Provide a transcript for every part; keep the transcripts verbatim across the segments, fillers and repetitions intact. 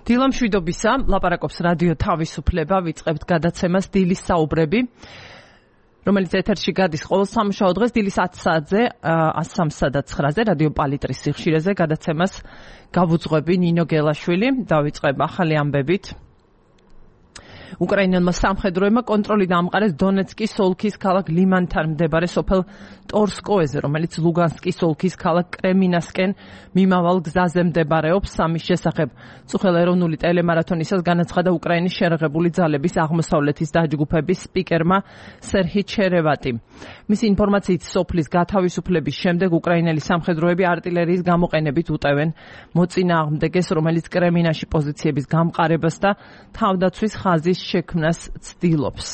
დილა მშვიდობისა, ლაპარაკობს რადიო თავისუფლება, ვიწყებთ გადაცემას დილის საუბრები, რომელიც ეთერში გადის ყოველ სამუშაო დღეს დილის ათი საათზე, სამსა და ცხრაზე, რადიო პალიტრის სიხშირეზე გადაცემას გავუძღვები ნინო გელაშვილი, დავიწყებ ახალი ამბებით. უკრაინელმა სამხედროებმა კონტროლი დაამყარეს დონეცკის ოლქის ქალაქ ლიმანთან მდებარე სოფელ ტორსკოეზე, რომელიც ლუგანსკის ოლქის ქალაქ კრემინასკენ მიმავალ გზაზე მდებარეობს. ამის შესახებ წუხელ ეროვნული ტელემარათონისას განაცხადა უკრაინის შერეღებული ძალების აღმოსავლეთის დაჯგუფების სპიკერმა სერჰი ჩერევატი. მისი ინფორმაციით სოფლის გათავისუფლების შემდეგ უკრაინელი სამხედროები არტილერიის გამოყენებით უტევენ მოწინააღმდეგეს, რომელიც კრემინაში პოზიციების გამყარებას და თავდაცვის ხაზის შექმნას ცდილობს.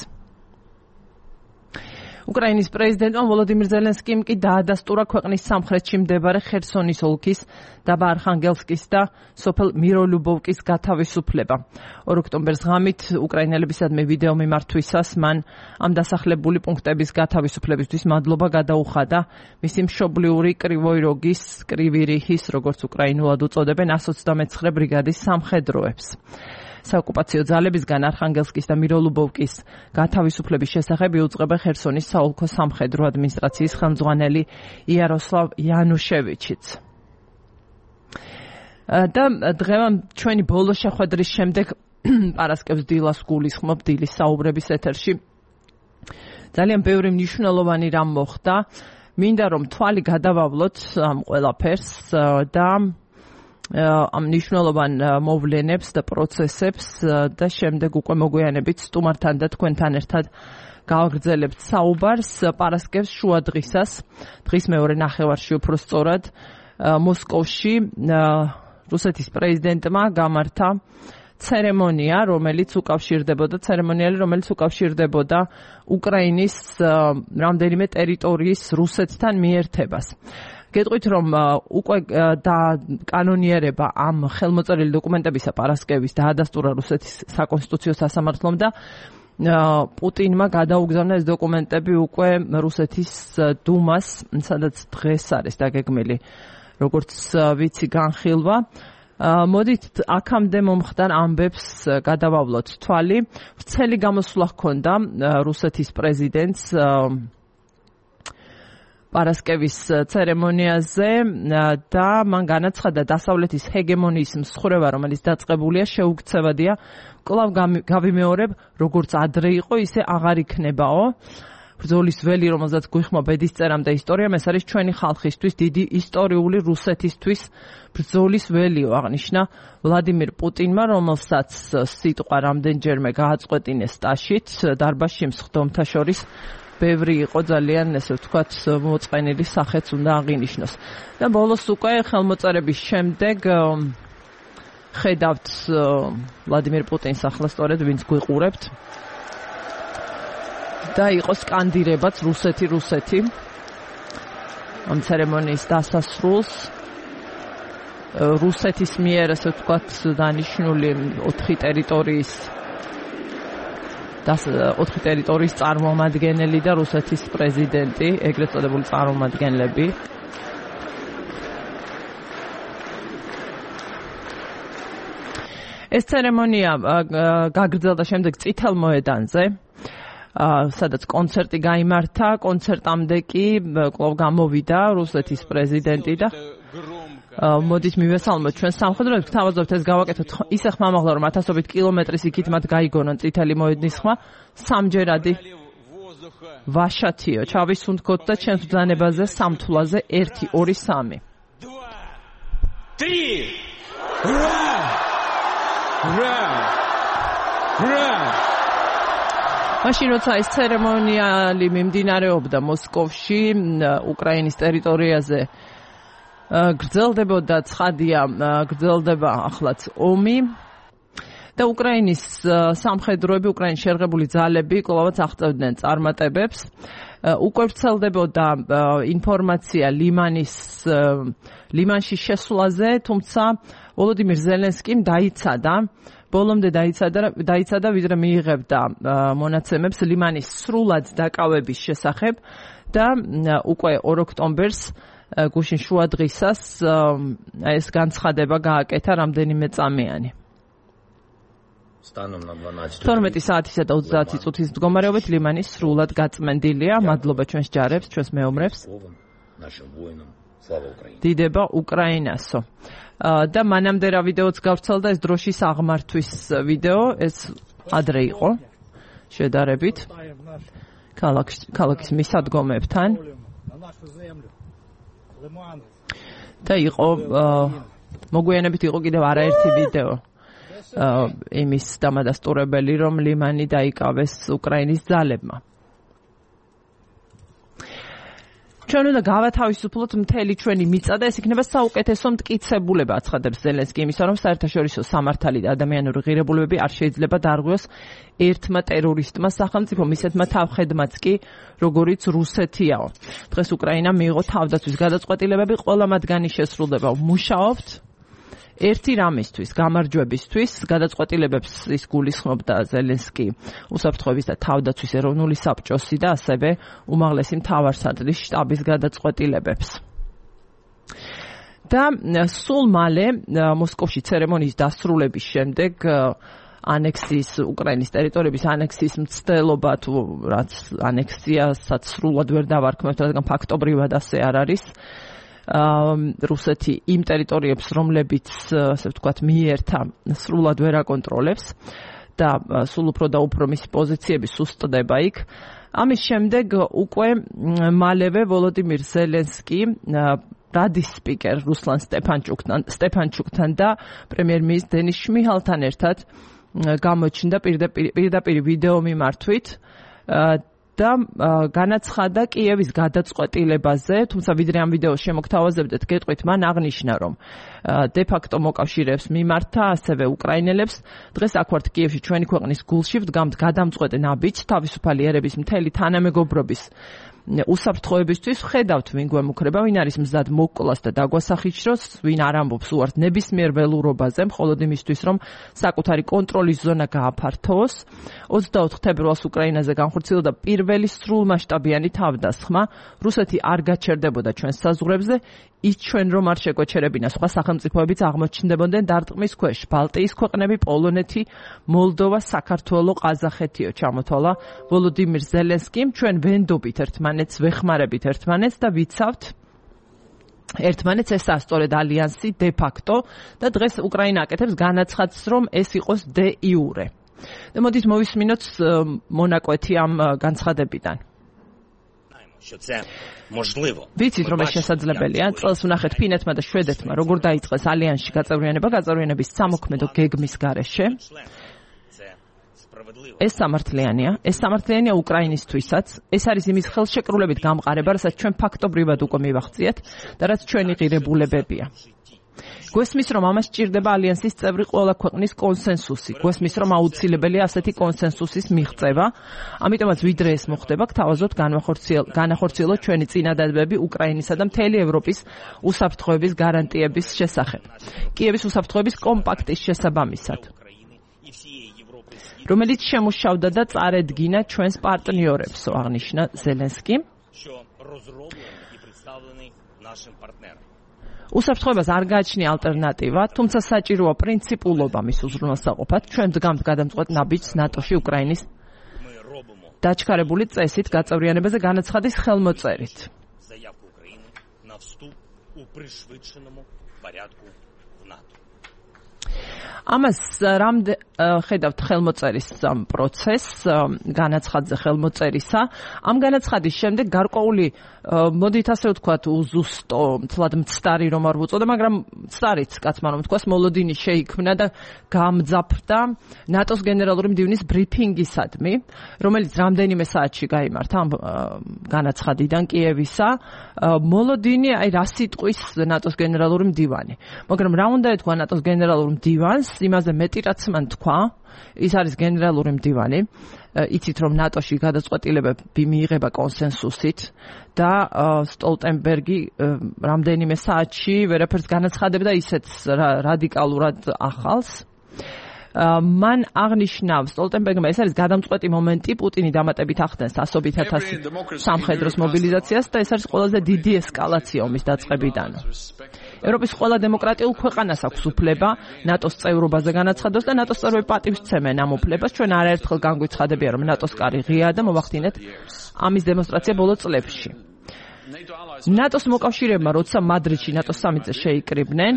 უკრაინის პრეზიდენტმა ვოლოდიმირ ზელენსკიმ კი დაადასტურა ქვეყნის სამხრეთში მდებარე ხერსონის ოლქის დაბა არხანგელსკის და სოფელ მიროლუბოვკის გათავისუფლება. ორ ოქტომბერს ღამით უკრაინელებისადმი ვიდეო მიმართვისას მან ამ დასახლებული პუნქტების გათავისუფლებისთვის მადლობა გადაუხადა მისი მშობლიური კრივოი როგის, კრივი რიჰის, როგორც უკრაინულად უწოდებენ, ას ოცდამეცხრე ბრიგადის სამხედროებს. საოკუპაციო ძალებისგან არხანგელსკის და მიროლუბოვკის გათავისუფლების შესახებ იუწყება ხერსონის საოლქო სამხედრო ადმინისტრაციის ხელმძღვანელი იაროსლავ იანუშევიჩიც. და დღევამ ჩვენი ბოლო შეხვედრის შემდეგ პარასკევს დილას გულისხმობ დილის საუბრების ეთერში. ძალიან ბევრი მნიშვნელოვანი რამ მოხდა. მინდა რომ თვალი გადავავლოთ ამ ყველაფერს და ამ მნიშვნელოვან მოვლენებს და პროცესებს და შემდეგ უკვე მოგვიანებით სტუმართან და თქვენთან ერთად გავაგრძელებთ საუბარს. პარასკევს შუა დღისას, დღის მეორე ნახევარში უფრო სწორად, მოსკოვში რუსეთის პრეზიდენტმა გამართა ცერემონია, რომელიც უკავშირდებოდა ცერემონიალი, რომელიც უკავშირდებოდა უკრაინის რამდენიმე ტერიტორიის რუსეთთან მიერთებას. გეტყვით, რომ უკვე და კანონიერება ამ ხელმოწერილი დოკუმენტებისა პარასკევის დაადასტურა რუსეთის საკონსტიტუციო სასამართლომ და პუტინმა გადაუგზავნა ეს დოკუმენტები უკვე რუსეთის დუმას, სადაც დღეს არის დაგეგმილი, როგორც ვიცი, განხილვა. მოდით აქამდე მომხდარ ამბებს გადავავლოთ თვალი. ვრცელი გამოსვლა ჰქონდა რუსეთის პრეზიდენტს პარასკევის ცერემონიაზე და მან განაცხადა დასავლეთის ჰეგემონიის მსხრევა, რომელიც დაწყებულია, შეუქცევადია. კვლავ გავიმეორებ, როგორც ადრე იყო, ისე აღარ იქნებაო. ბრძოლის ველი, რომელზეც გვიხმო ბედისწერამდე ისტორიამ, ეს არის ჩვენი ხალხისთვის დიდი ისტორიული რუსეთისთვის ბრძოლის ველიო, აღნიშნა ვლადიმირ პუტინმა, რომელსაც სიტყვა რამდენჯერმე გააწყვეტინეს ტაშით დარბაზში მსხდომთა შორის. ბევრი იყო ძალიან, ესე ვთქვათ, მოწყენილი სახეც უნდა აღინიშნოს. და ბოლოს უკვე ხელმოწერების შემდეგ ხედავთ ვლადიმირ პუტინს ახლა სწორედ ვინც გვიყურებთ. და იყო სკანდირებაც რუსეთი, რუსეთი. ამ ცერემონიის დასასრულს რუსეთის მიერ, ესე ვთქვათ, დანიშნული ოთხი ტერიტორიის ოთხი ტერიტორიის წარმომადგენელი და რუსეთის პრეზიდენტი, ეგრეთ წოდებული წარმომადგენლები. ეს ცერემონია გაგრძელდა შემდეგ წითელ მოედანზე, სადაც კონცერტი გაიმართა. კონცერტამდე კი კვლავ გამოვიდა რუსეთის პრეზიდენტი და მოდით მივესალმოთ ჩვენ სამხედროებს, გთავაზობთ ეს გავაკეთოთ ისე ხმამაღლა, რომ ათასობით კილომეტრის იქით მათ გაიგონონ წითელი მოედნის ხმა. სამჯერადი ვაშათიო, ჩავისუნთქოთ და ჩვენს ბრძანებაზე სამთვლაზე ერთი, ორი, სამი. მაშინ როცა ეს ცერემონიალი მიმდინარეობდა მოსკოვში, უკრაინის ტერიტორიაზე გრძელდებოდა, ცხადია, გრძელდება ახლაც ომი და უკრაინის სამხედროები, უკრაინის შერღებული ძალები კვლავაც აღწევდნენ წარმატებებს. უკვე ვრცელდებოდა ინფორმაცია ლიმანის ლიმანში შესვლაზე, თუმცა ვოლოდიმირ ზელენსკიმ დაიცადა, ბოლომდე დაიცადა, დაიცადა ვიდრე მიიღებდა მონაცემებს ლიმანის სრულად დაკავების შესახებ და უკვე ორ ოქტომბერს გუშინ შუა დღისას ეს განცხადება გააკეთა რამდენიმე წამიანი. თორმეტი საათისა და ოცდაათი წუთის მდგომარეობით ლიმანი სრულად გაწმენდილია. მადლობა ჩვენს ჯარებს, ჩვენს მეომრებს. დიდება უკრაინასო. და მანამდე რა ვიდეოც გავრცელდა, ეს დროშის აღმართვის ვიდეო, ეს ადრე იყო შედარებით ქალაქის მისადგომებთან და იყო მოგვიანებით იყო კიდევ არაერთი ვიდეო იმის დამადასტურებელი, რომ ლიმანი დაიკავეს უკრაინის ძალებმა. ჩვენ უნდა გავათავისუფლოთ მთელი ჩვენი მიწა და ეს იქნება საუკეთესო მტკიცებულება, აცხადებს ზელენსკი იმისა, რომ საერთაშორისო სამართალი და ადამიანური ღირებულებები არ შეიძლება დარღვიოს ერთმა ტერორისტმა სახელმწიფომ, ისეთმა თავხედმაც კი, როგორიც რუსეთიაო. დღეს უკრაინამ მიიღო თავდაცვის გადაწყვეტილებები, ყველა მათგანი შესრულდება. მუშაობთ ერთი რამისთვის, გამარჯვებისთვის, გადაწყვეტილებებს ის გულისხმობდა ზელენსკი უსაფრთხოების და თავდაცვის ეროვნული საბჭოსი და ასევე უმაღლესი მთავარსარდლის შტაბის გადაწყვეტილებებს. და სულ მალე მოსკოვში ცერემონიის დასრულების შემდეგ ანექსიის უკრაინის ტერიტორიების ანექსიის მცდელობა თუ რაც ანექსიასაც სრულად ვერ დავარქმევთ, რადგან ფაქტობრივად ასე არ არის. რუსეთი იმ ტერიტორიებს, რომლებიც, ასე ვთქვათ, მიიერთა, სრულად ვერ აკონტროლებს და სულ უფრო და უფრო მისი პოზიციები სუსტდება იქ. ამის შემდეგ უკვე მალევე ვოლოდიმირ ზელენსკი რადის სპიკერ რუსლან სტეფანჩუკთან, სტეფანჩუკთან და პრემიერ-მინისტრ დენის შმიჰალთან ერთად გამოჩნდა პირდაპირ ვიდეო მიმართვით და განაცხადა კიევის გადაწყვეტილებაზე, თუმცა ვიდრე ამ ვიდეოს შემოგთავაზებდეთ, გეტყვით, მან აღნიშნა, რომ დე-ფაქტო მოკავშირეებს მიმართა, ასევე უკრაინელებს, დღეს აქ ვართ კიევში ჩვენი ქვეყნის გულში, ვდგამთ გადამწყვეტ ნაბიჯს თავისუფალი ერების მთელი თანამეგობრობის უსაფრთხოებისთვის, ვხედავთ ვინ გვემუქრება, ვინ არის მზად მოკვლას და დაგვასახიჩროს, ვინ არ ამბობს უართ ნებისმიერ ველურობაზე, მხოლოდ იმისთვის, რომ საკუთარი კონტროლის ზონა გააფართოვოს. ოცდაოთხ თებერვალს უკრაინაზე განხორციელდა პირველი სრულმასშტაბიანი თავდასხმა. რუსეთი არ გაჩერდებოდა ჩვენს საზღვრებზე, ის ჩვენ რომ არ შეკოჩერებინა, სხვა სახელმწიფოებიც აღმოჩნდებოდნენ დარტყმის ქვეშ. ბალტიის ქვეყნები, პოლონეთი, მოლდოვა, საქართველო, ყაზახეთიო ჩამოთვალა ვოლოდიმირ ზელენსკიმ. ჩვენ ვენდობით ერთმანეთს, ვეხმარებით ერთმანეთს და ვიცავთ ერთმანეთს, ესაა სწორედ ალიანსი დე-ფაქტო და დღეს უკრაინა აკეთებს განაცხადს, რომ ეს იყოს დე-იურე. და მოდით მოვისმინოთ მონაკვეთი ამ განცხადებიდან. ვიცით, რომ ეს შესაძლებელია. წელს ვნახეთ ფინეთმა და შვედეთმა, როგორ დაიწყეს ალიანსში გაწევრიანება, გაწევრიანების სამოქმედო გეგმის გარეშე. ეს სამართლიანია, ეს სამართლიანია უკრაინისთვისაც. ეს არის იმის ხელშეკრულებით გამყარება, რასაც ჩვენ ფაქტობრივად უკვე მივახციეთ და რაც ჩვენი ღირებულებებია. გვესმის, რომ ამას სჭირდება ალიანსის წევრი ყველა ქვეყნის კონსენსუსი. გვესმის, რომ აუცილებელია ასეთი კონსენსუსის მიღწევა. ამიტომაც ვიდრე ეს მოხდება, გთავაზობთ განახორციელოთ ჩვენი წინადადებები უკრაინისა და მთელი ევროპის უსაფრთხოების გარანტიების შესახებ. კიევის უსაფრთხოების კომპაქტის შესაბამისად, რომელიც შემუშავდა და წარედგინა ჩვენს პარტნიორებსო, აღნიშნა ზელენსკი. უსაფრთხოებას არ გააჩნია ალტერნატივა, თუმცა საჭიროა პრინციპულობა მის უზრუნველსაყოფად. ჩვენ ვდგამთ გადამწყვეტ ნაბიჯს ნატოში უკრაინის დაჩქარებული წესით გაწევრიანებაზე განაცხადის ხელმოწერით. ამას რამდენ ხედავთ ხელმოწერის პროცესს, განაცხადზე ხელმოწერისა. ამ განაცხადის შემდეგ გარკვეული, მოდით ასე ვთქვათ, უზუსტო, თლად მცდარი რომ არ ვუწოდე, მაგრამ მცდარიც კაცმა რომ ვთქვას, მოლოდინი შეიქმნა და გამძაფრდა ნატოს გენერალური მდივნის ბრიფინგისადმი, რომელიც რამდენიმე საათში გაიმართა ამ განაცხადიდან კიევისა. მოლოდინი, აი რა სიტყვის ნატოს გენერალური მდივანი. მაგრამ რა უნდა ეთქვა ნატოს გენერალურ მდივანს, იმაზე მეტი რაც მან თქვა, ის არის გენერალური მდივანი. იცით, რომ ნატოში გადაწყვეტილებები მიიღება კონსენსუსით და სტოლტენბერგი რამდენიმე საათში ვერაფერს განაცხადებდა ისეთ რადიკალურად ახალს. მან აღნიშნა სტოლტენბერგმა, ეს არის გადამწყვეტი მომენტი, პუტინი დამატებით ახდენს ასობით ათასი სამხედროს მობილიზაციას და ეს არის ყველაზე დიდი ესკალაცია ომის დაწყებიდან. ევროპის ყველა დემოკრატიულ ქვეყანას აქვს უფლება ნატოს წევრობაზე განაცხადოს და ნატოს წევრები პატივსცემენ ამ უფლებას. ჩვენ არაერთხელ განგვიცხადებია, რომ ნატოს კარი ღიაა და მოვახდინეთ ამის დემონსტრაცია ბოლო წლებში. ნატოს მოკავშირეებმა, როცა მადრიდში ნატოს სამიტზე შეიკრიბნენ,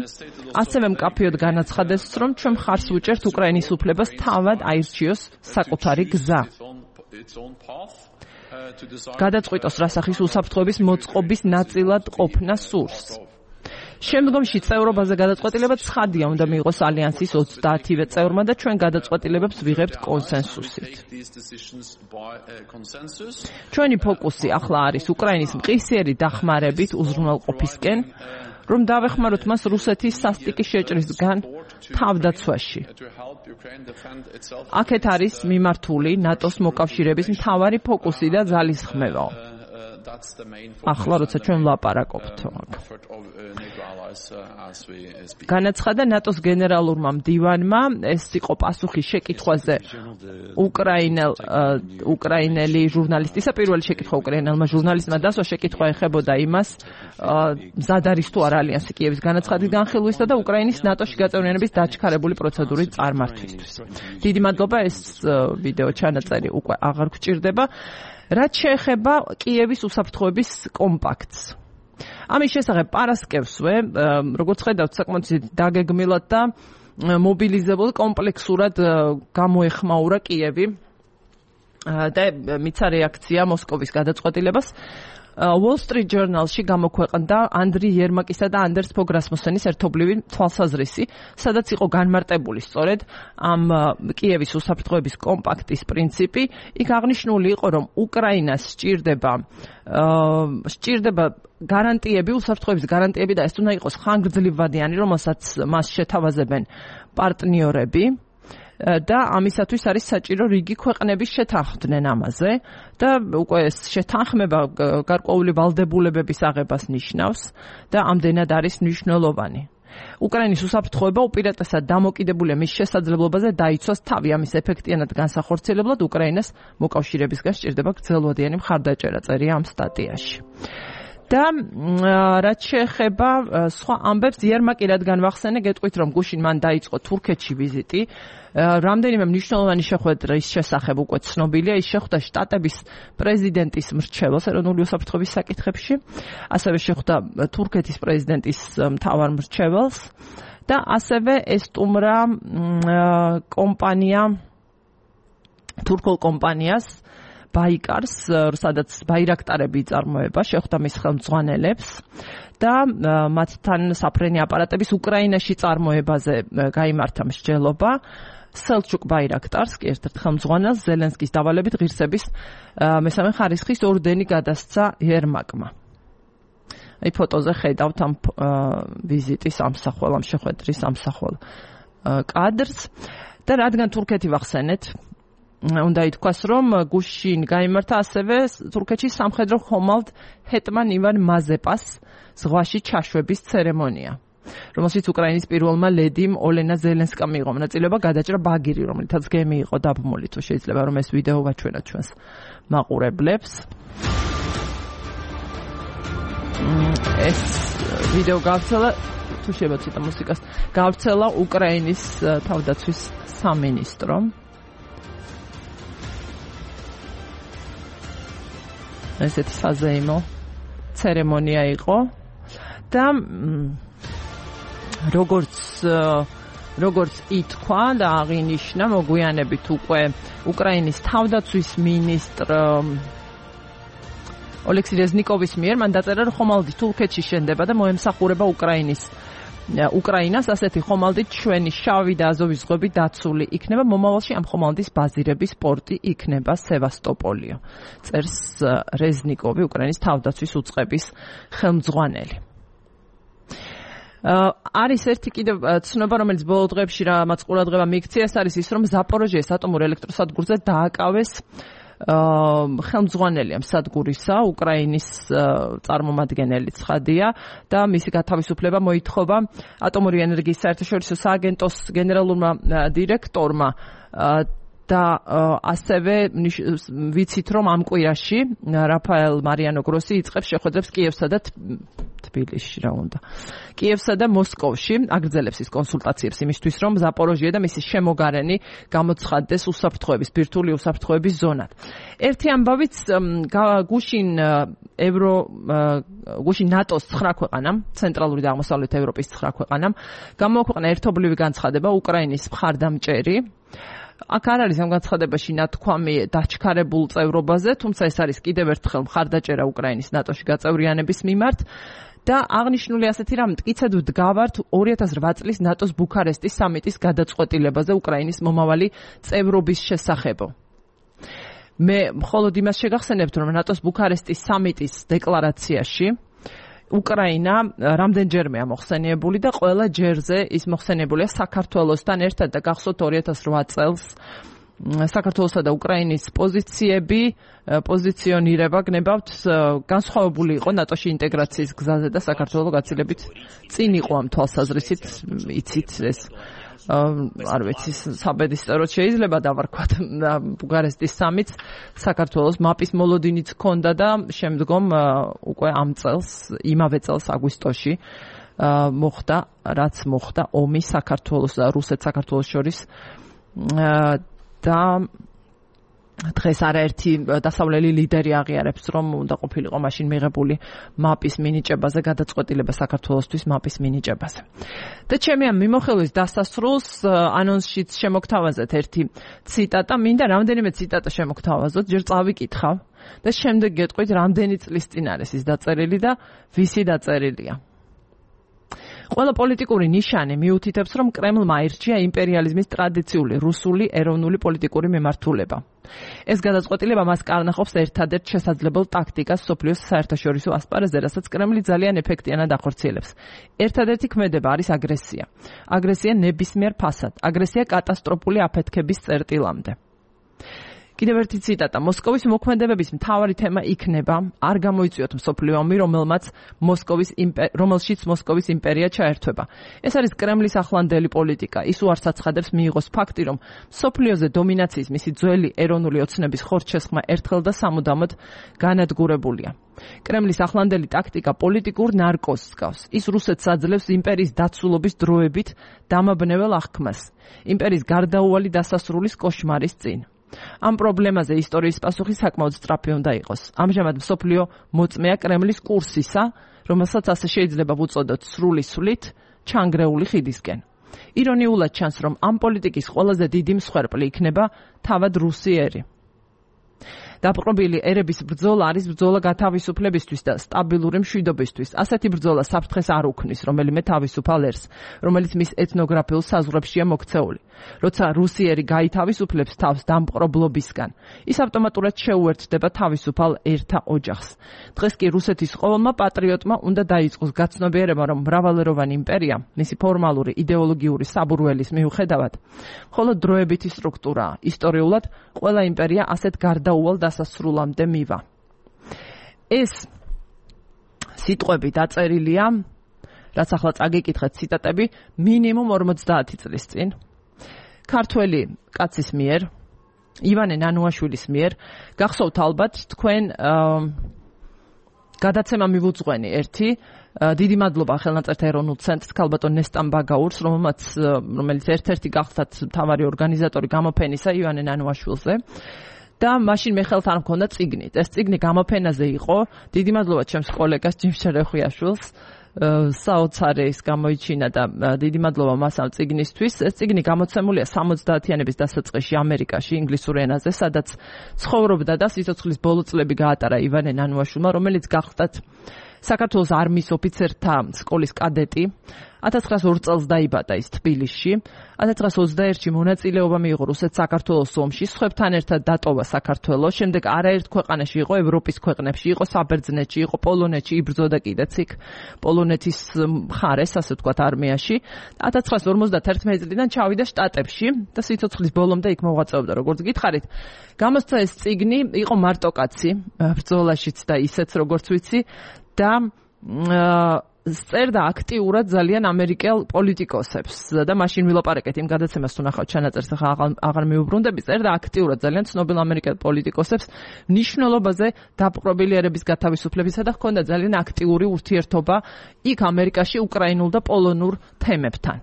ასევე მკაფიოდ განაცხადეს, რომ ჩვენ მხარს ვუჭერთ უკრაინის უფლებას თავად აირჩიოს საკუთარი გზა. გადაწყვიტოს რა სახის უსაფრთხოების მოწყობის ნაწილად ყოფნა სურს. შემდგომში წევრობაზე გადაწყვეტილება ცხადია უნდა მიიღოს ალიანსის ოცდაათივე წევრმა და ჩვენ გადაწყვეტილებებს ვიღებთ კონსენსუსით. ჩვენი ფოკუსი ახლა არის უკრაინის მყისიერი დახმარებით უზრუნველყოფისკენ, რომ დავეხმაროთ მას რუსეთის სასტიკი შეჭრისგან თავდაცვაში. აქეთ არის მიმართული ნატოს მოკავშირეების მთავარი ფოკუსი და ძალისხმევა. ახლა როცა ჩვენ ვლაპარაკობთ. განაცხადა ნატოს გენერალურმა მდივანმა, ეს იყო პასუხი შეკითხვაზე უკრაინელ უკრაინელი ჟურნალისტისა, პირველი შეკითხვა უკრაინელმა ჟურნალისტმა დასვა შეკითხვა ეხებოდა იმას, მზად არის თუ არა ალიანსი კიევის განაცხადის განხილვისა და უკრაინის ნატოში გაწევრიანების დაჩქარებული პროცედურის წარმართვისთვის. დიდი მადლობა, ეს ვიდეო ჩანაწერი უკვე აღარ გვჭირდება. რაც შეეხება კიევის უსაფრთხოების კომპაქტს. ამის შესახებ პარასკევსვე, როგორც ხედავთ, საკმაოდ დაგეგმილად და მობილიზებულ კომპლექსურად გამოეხმაურა კიევი და მიცა რეაქცია მოსკოვის გადაწყვეტილებას. Wall Street Journal-ში გამოქვეყნდა ანდრი იერმაკისა და ანდერს ფოგ რასმუსენის ერთობლივი თვალსაზრისი, სადაც იყო განმარტებული სწორედ ამ კიევის უსაფრთხოების კომპაქტის პრინციპი. იქ აღნიშნული იყო, რომ უკრაინას სჭირდება სჭირდება გარანტიები, უსაფრთხოების გარანტიები და ეს უნდა იყოს ხანგრძლივადიანი, რომელსაც მას შეთავაზებენ პარტნიორები. და ამისათვის არის საჭირო რიგი ქვეყნების შეთანხმდნენ ამაზე და უკვე ეს შეთანხმება გარკვეული ვალდებულებების აღებას ნიშნავს და ამდენად არის მნიშვნელოვანი. უკრაინის უსაფრთხოება უპირატესად დამოკიდებულია მის შესაძლებლობაზე დაიცვას თავი ამის ეფექტიანად განსახორციელებლად უკრაინას მოკავშირეებისგან სჭირდება გრძელვადიანი მხარდაჭერა, წერია ამ სტატიაში. და რაც შეეხება სხვა ამბებს, იერმაკი რადგან ვახსენე, გეტყვით, რომ გუშინ მან დაიწყო თურქეთში ვიზიტი. რამდენიმე მნიშვნელოვანი შეხვედრა ის შესახებ უკვე ცნობილია, ის შეხვდა შტატების პრეზიდენტის მრჩეველს ეროვნული უსაფრთხოების საკითხებში, ასევე შეხვდა თურქეთის პრეზიდენტის მთავარ მრჩეველს და ასევე ესტუმრა კომპანია თურქულ კომპანიას ბაიკარს, სადაც ბაირაქტარები იწარმოება, შეხვდა მის ხელმძღვანელებს და მათთან საფრენი აპარატების უკრაინაში წარმოებაზე გაიმართა მსჯელობა. სელჩუკ ბაირაქტარს, კი ერთ-ერთ ხელმძღვანელს, ზელენსკის დავალებით ღირსების მესამე ხარისხის ორდენი გადასცა იერმაკმა. აი ფოტოზე ხედავთ ამ ვიზიტის ამსახვალ, ამ შეხვედრის ამსახვალ კადრს და რადგან თურქეთი ვახსენეთ, უნდა ითქვას, რომ გუშინ გაიმართა ასევე თურქეთის სამხედრო ხომალდ ჰეტმან ივან მაზეპას ზღვაში ჩაშვების ცერემონია, რომელშიც უკრაინის პირველმა ლედიმ ოლენა ზელენსკამ მიიღო მონაწილეობა, გადაჭრა ბაგირი, რომელთაც გემი იყო დაბმული. თუ შეიძლება რომ ეს ვიდეო ვაჩვენოთ ჩვენს მაყურებლებს. ეს ვიდეო გავრცელა, თუ შეიძლება ცოტა მუსიკას, გავრცელა უკრაინის თავდაცვის სამინისტრომ. ესეთი საზეიმო ცერემონია იყო და როგორც როგორც ითქვა და აღინიშნა მოგვიანებით უკვე უკრაინის თავდაცვის მინისტრ ოლექსი რეზნიკოვის მიერ მან დაწერა, რომ ხომალდი თურქეთში შენდება და მოემსახურება უკრაინის უკრაინას, ასეთი ხომალდით ჩვენი შავი და აზოვის ზღვები დაცული იქნება. მომავალში ამ ხომალდის ბაზირების პორტი იქნება სევასტოპოლიო. წერს რეზნიკოვი, უკრაინის თავდაცვის უწყების ხელმძღვანელი. არის ერთი კიდევ ცნობა, რომელიც ბოლო დღეებში რამაც ყურადღება მიიქცია, ეს არის ის, რომ ზაპოროჟიეს ატომურ ელექტროსადგურზე დააკავეს ხელმძღვანელი ამ სადგურისა, უკრაინის წარმომადგენელი ცხადია და მისი გათავისუფლება მოითხოვა ატომური ენერგიის საერთაშორისო სააგენტოს გენერალურმა დირექტორმა და ასევე ვიცით რომ ამ კვირაში რაფაელ მარიანო გროსი იწყებს შეხვედრებს კიევსა და თბილისში რა უნდა. კიევსა და მოსკოვში აგრძელებს ის კონსულტაციებს იმისთვის რომ ზაპოროჟიე და მისი შემოგარენი გამოცხადდეს უსაფრთხოების ბირთვული უსაფრთხოების ზონად. ერთი ამბავიც გუშინ ევრო გუშინ ნატოს ცხრა ქვეყანამ, ცენტრალური და აღმოსავლეთ ევროპის ცხრა ქვეყანამ გამოაქვეყნა ერთობლივი განცხადება უკრაინის მხარდამჭერი. აქ არ არის ამ განცხადებაში ნათქვამი დაჩქარებულ წევრობაზე, თუმცა ეს არის კიდევ ერთხელ მხარდაჭერა უკრაინის ნატოში გაწევრიანების მიმართ და აღნიშნული ასეთი რამ მტკიცედ ვდგავართ ორი ათას რვა წლის ნატოს ბუქარესტის სამიტის გადაწყვეტილებაზე უკრაინის მომავალი წევრობის შესახებო. მე მხოლოდ იმას შეგახსენებთ, რომ ნატოს ბუქარესტის სამიტის დეკლარაციაში უკრაინა რამდენჯერმეა მოხსენიებული და ყველა ჯერზე ის მოხსენიებულია საქართველოსთან ერთად და გახსოვთ ორი ათას რვა წელს საქართველოსა და უკრაინის პოზიციები, პოზიციონირება გნებავთ განსხვავებული იყო ნატოში ინტეგრაციის გზაზე და საქართველოს გაცილებით წინ იყო ამ თვალსაზრისით, იცით ეს არ ვიცი, საბედისწეროდ შეიძლება დავარქვათ ბუქარესტის სამიტს საქართველოს მაპის მოლოდინიც ჰქონდა და შემდგომ უკვე ამ წელს, იმავე წელს აგვისტოში მოხდა, რაც მოხდა ომი საქართველოს და რუსეთ-საქართველოს შორის და დღეს არაერთი დასავლელი ლიდერი აღიარებს, რომ უნდა ყოფილიყო მაშინ მიღებული მაპის მინიჭებაზე გადაწყვეტილება საქართველოსთვის მაპის მინიჭებაზე. და ჩემი ამ მიმოხილვის დასასრულს ანონსშიც შემოგთავაზეთ ერთი ციტატა, მინდა რამდენიმე ციტატა შემოგთავაზოთ, ჯერ წავიკითხავ და შემდეგ გეტყვით რამდენი წლის წინ არის ის დაწერილი და ვისი დაწერილია. ყველა პოლიტიკური ნიშანი მიუთითებს, რომ კრემლმა აირჩია იმპერიალიზმის ტრადიციული რუსული ეროვნული პოლიტიკური მიმართულება. ეს გადაწყვეტილება მას კარნახობს ერთადერთ შესაძლებელ ტაქტიკას სოფლიოს საერთაშორისო ასპარეზზე, რასაც კრემლი ძალიან ეფექტიანად ახორციელებს. ერთადერთი ქმედება არის აგრესია. აგრესია ნებისმიერ ფასად, აგრესია კატასტროფული აფეთქების წერტილამდე. კიდევ ერთი ციტატა. მოსკოვის მოქმედებების მთავარი თემა იქნება არ გამოიწვიოთ მსოფლიო ომი, რომელმაც მოსკოვის რომელშიც მოსკოვის იმპერია ჩაერთვება. ეს არის კრემლის ახლანდელი პოლიტიკა. ის უარს აცხადებს მიიღოს ფაქტი, რომ მსოფლიოზე დომინაციის მისი ძველი ეროვნული ოცნების ხორცშესხმა ერთხელ და სამუდამოდ განადგურებულია. კრემლის ახლანდელი ტაქტიკა პოლიტიკურ ნარკოზს გავს. ის რუსეთს აძლევს იმპერიის დაცულობის დროებით დამაბნეվել აღქმას. იმპერიის გარდაუვალი დასასრულის კოშმარის წინ. ამ პრობლემაზე ისტორიის პასუხი საკმაოდ სწრაფი უნდა იყოს. ამჟამად მსოფლიო მოწმეა კრემლის კურსისა, რომელსაც ასე შეიძლება ვუწოდოთ სრული სვლით ჩანგრეული ხიდისკენ. ირონიულად ჩანს, რომ ამ პოლიტიკის ყველაზე დიდი მსხვერპლი იქნება თავად რუსი ერი. დაპყრობილი ერების ბრძოლა არის ბრძოლა გათავისუფლებისთვის და სტაბილური მშვიდობისთვის. ასეთი ბრძოლა საფრთხეს არ უქმნის რომელიმე თავისუფალ ერს, რომელიც მის ეთნოგრაფიულ საზღვრებშია მოქცეული. როცა რუსიერი გაითავისუფლებს თავს დამპყრობლობისგან, ის ავტომატურად შეუერთდება თავისუფალ ერთა ოჯახს. დღეს კი რუსეთის ყოველმა პატრიოტმა უნდა დაიწყოს გაცნობიერება, რომ მრავალეროვანი იმპერია, მისი ფორმალური იდეოლოგიური საბურველის მიუხედავად, მხოლოდ დროებითი სტრუქტურაა. ისტორიულად ყველა იმპერია ასეთ გარდაუვალ დასასრულამდე მივა. ეს სიტყვები დაწერილია, რაც ახლა წაგიკითხეთ ციტატები, მინიმუმ ორმოცდაათი წლის წინ. ქართველი კაცის მიერ, ივანე ნანუაშვილის მიერ, გახსოვთ ალბათ თქვენ გადაცემა მივუძღვენი ერთი, დიდი მადლობა ხელნაწერთა ეროვნულ ცენტრს ქალბატონ ნესტან ბაგაურს, რომელმაც რომელიც ერთ-ერთი გახსათ მთავარი ორგანიზატორი გამოფენისა ივანე ნანუაშვილზე. და მაშინ მე ხელთ არ მქონდა წიგნით. ეს წიგნი გამოფენაზე იყო. დიდი მადლობა ჩემს კოლეგას ჯიმ შერეხვიაშვილს. საოცარი გამოიჩინა და დიდი მადლობა მას ამ წიგნისთვის. ეს წიგნი გამოცემულია სამოცდაათიანების დასაწყისში ამერიკაში ინგლისურ ენაზე, სადაც ცხოვრობდა და სიცოცხლის ბოლო წლები გაატარა ივანე ნანუაშვილმა, რომელიც გახდათ საქართველოს არმიის ოფიცერთა სკოლის კადეტი. ათას ცხრაას ორ წელს დაიბადა ის თბილისში. ათას ცხრაას ოცდაერთში მონაწილეობა მიიღო რუსეთ-საქართველოს ომში, სხვებთან ერთად დატოვა საქართველოს, შემდეგ არაერთ ქვეყანაში იყო, ევროპის ქვეყნებში იყო, საბერძნეთში იყო, პოლონეთში იბრძოდა კიდეც იქ პოლონეთის მხარეს, ასე ვთქვათ, არმიაში. ათას ცხრაას ორმოცდათერთმეტი წლიდან ჩავიდა შტატებში და სიცოცხლის ბოლომდე იქ მოღვაწეობდა, როგორც გითხარით. გამოსცა ეს წიგნი, იყო მარტო კაცი, ბრძოლაშიც და ისეც, როგორც ვიცი, და წერდა აქტიურად ძალიან ამერიკელ პოლიტიკოსებს და მაშინ ვილაპარაკეთ იმ გადაცემას თუ ნახავთ ჩანაწერს ახლა აღარ მიუბრუნდები წერდა აქტიურად ძალიან ცნობილ ამერიკელ პოლიტიკოსებს ნიშნულობაზე დაპყრობილიერების გათავისუფლებისა და ჰქონდა ძალიან აქტიური ურთიერთობა იქ ამერიკაში უკრაინულ და პოლონურ თემებთან.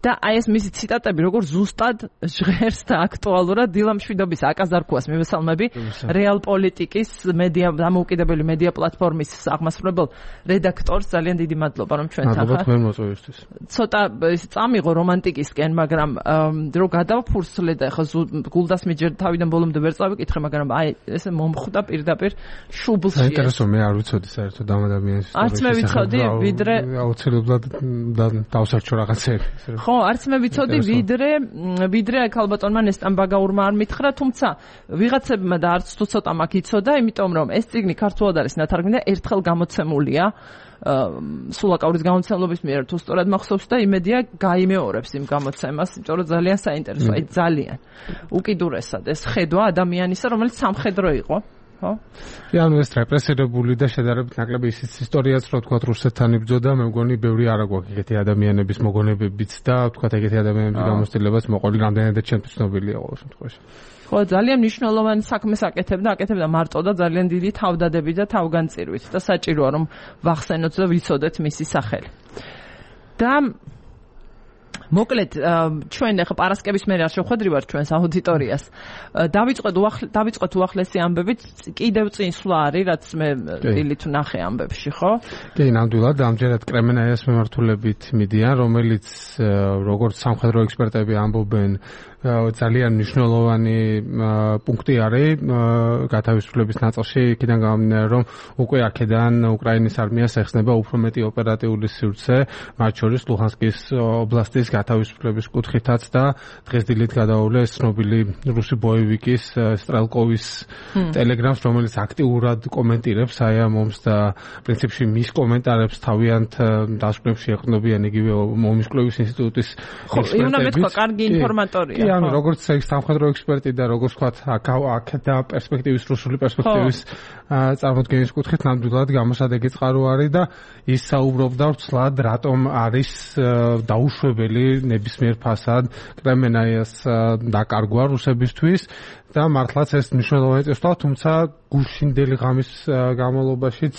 და აი ეს მისი ციტატები როგორ ზუსტად ჟღერს და აქტუალურად დილა მშვიდობის აკაზარქუას მივესალმები რეალ პოლიტიკის მედია დამოუკიდებელი მედია პლატფორმის აღმასრულებელ რედაქტორს ძალიან დიდი მადლობა რომ ჩვენთან ხარ. მადლობა თქვენ მოწვევისთვის. ცოტა წამიღო რომანტიკისკენ, მაგრამ რო გადავფურსლე და ხა გულდას მიჯერ თავიდან ბოლომდე ვერ წავიკითხე, მაგრამ აი ესე მომხვდა პირდაპირ შუბლში. საინტერესო მე არ ვიცოდი საერთოდ ამ ადამიანის ისტორიის. არც მე ვიცოდი, ვიდრე აუცილებლად დავსარჩო რაღაცები. ხო, არც მე ვიცოდი, ვიდრე ვიდრე აქ ალბათონმა ნესტან ბაგაურმა არ მითხრა, თუმცა ვიღაცებმა და არც თუ ცოტა მაგ იცოდა, იმიტომ რომ ეს წიგნი ქართულად არის ნათარგმნი და ერთხელ გამოცემულია სულაკაურის გამოცემლობის მიერ თუ სწორად მახსოვს და იმედია გაიმეორებს იმ გამოცემას, იმიტომ რომ ძალიან საინტერესოა, აი ძალიან უკიდურესად ეს ხედვა ადამიანისა, რომელიც სამხედრო იყო. ხო? ანუ ეს რეპრესირებული და შედარებით ნაკლები ისიც ისტორიაც რო თქვა რუსეთთან იბრძოდა, მე მგონი ბევრი არ აქვს ეგეთი ადამიანების მოგონებებიც და თქვა ეგეთი ადამიანების გამოცდილებას მოყოლი რამდენადაც ჩემთვის ცნობილია ყოველ შემთხვევაში. ხო, ძალიან მნიშვნელოვანი საქმეს აკეთებდა, აკეთებდა მარტო და ძალიან დიდი თავდადებით და თავგანწირვით და საჭიროა რომ ვახსენოთ და ვიცოდეთ მისი სახელი. და მოკლედ ჩვენ ახლა პარასკევის მერე არ შევხვედრივართ ჩვენს აუდიტორიას. დავიწყოთ დავიწყოთ უახლესი ამბებით, კიდევ წინ სვლა არის, რაც მე დილით ვნახე ამბებში, ხო? კი, ნამდვილად, ამჯერად კრემენაიას მიმართულებით მიდიან, რომელიც როგორც სამხედრო ექსპერტები ამბობენ, ძალიან მნიშვნელოვანი პუნქტი არის გათავისუფლების ნაწილში, იქიდან გამომდინარე, რომ უკვე აქედან უკრაინის არმიას ეხსნება უფრო მეტი ოპერატიული სივრცე, მათ შორის ლუჰანსკის ობლასტის გათავისუფლების კუთხითაც და დღეს დილით გადაავლეს ცნობილი რუსი ბოევიკის სტრელკოვის ტელეგრამს, რომელიც აქტიურად კომენტირებს აი ამ ომს და პრინციპში მის კომენტარებს თავიანთ დასკვნებში ეყრდნობიან იგივე ომის კვლევის ინსტიტუტის ექსპერტები. უნდა მეთქვა, კარგი ინფორმატორია. კი, ანუ როგორც სამხედრო ექსპერტი და როგორც ვთქვათ, აქ და პერსპექტივის რუსული პერსპექტივის წარმოდგენის კუთხით ნამდვილად გამოსადეგი წყარო არის და ის საუბრობდა ვცლად, რატომ არის დაუშვებელი ნებისმიერ ფასად კრემენაიას დაკარგვა რუსებისთვის და მართლაც ეს მნიშვნელოვანი წესვლა, თუმცა გუშინდელი ღამის განმავლობაშიც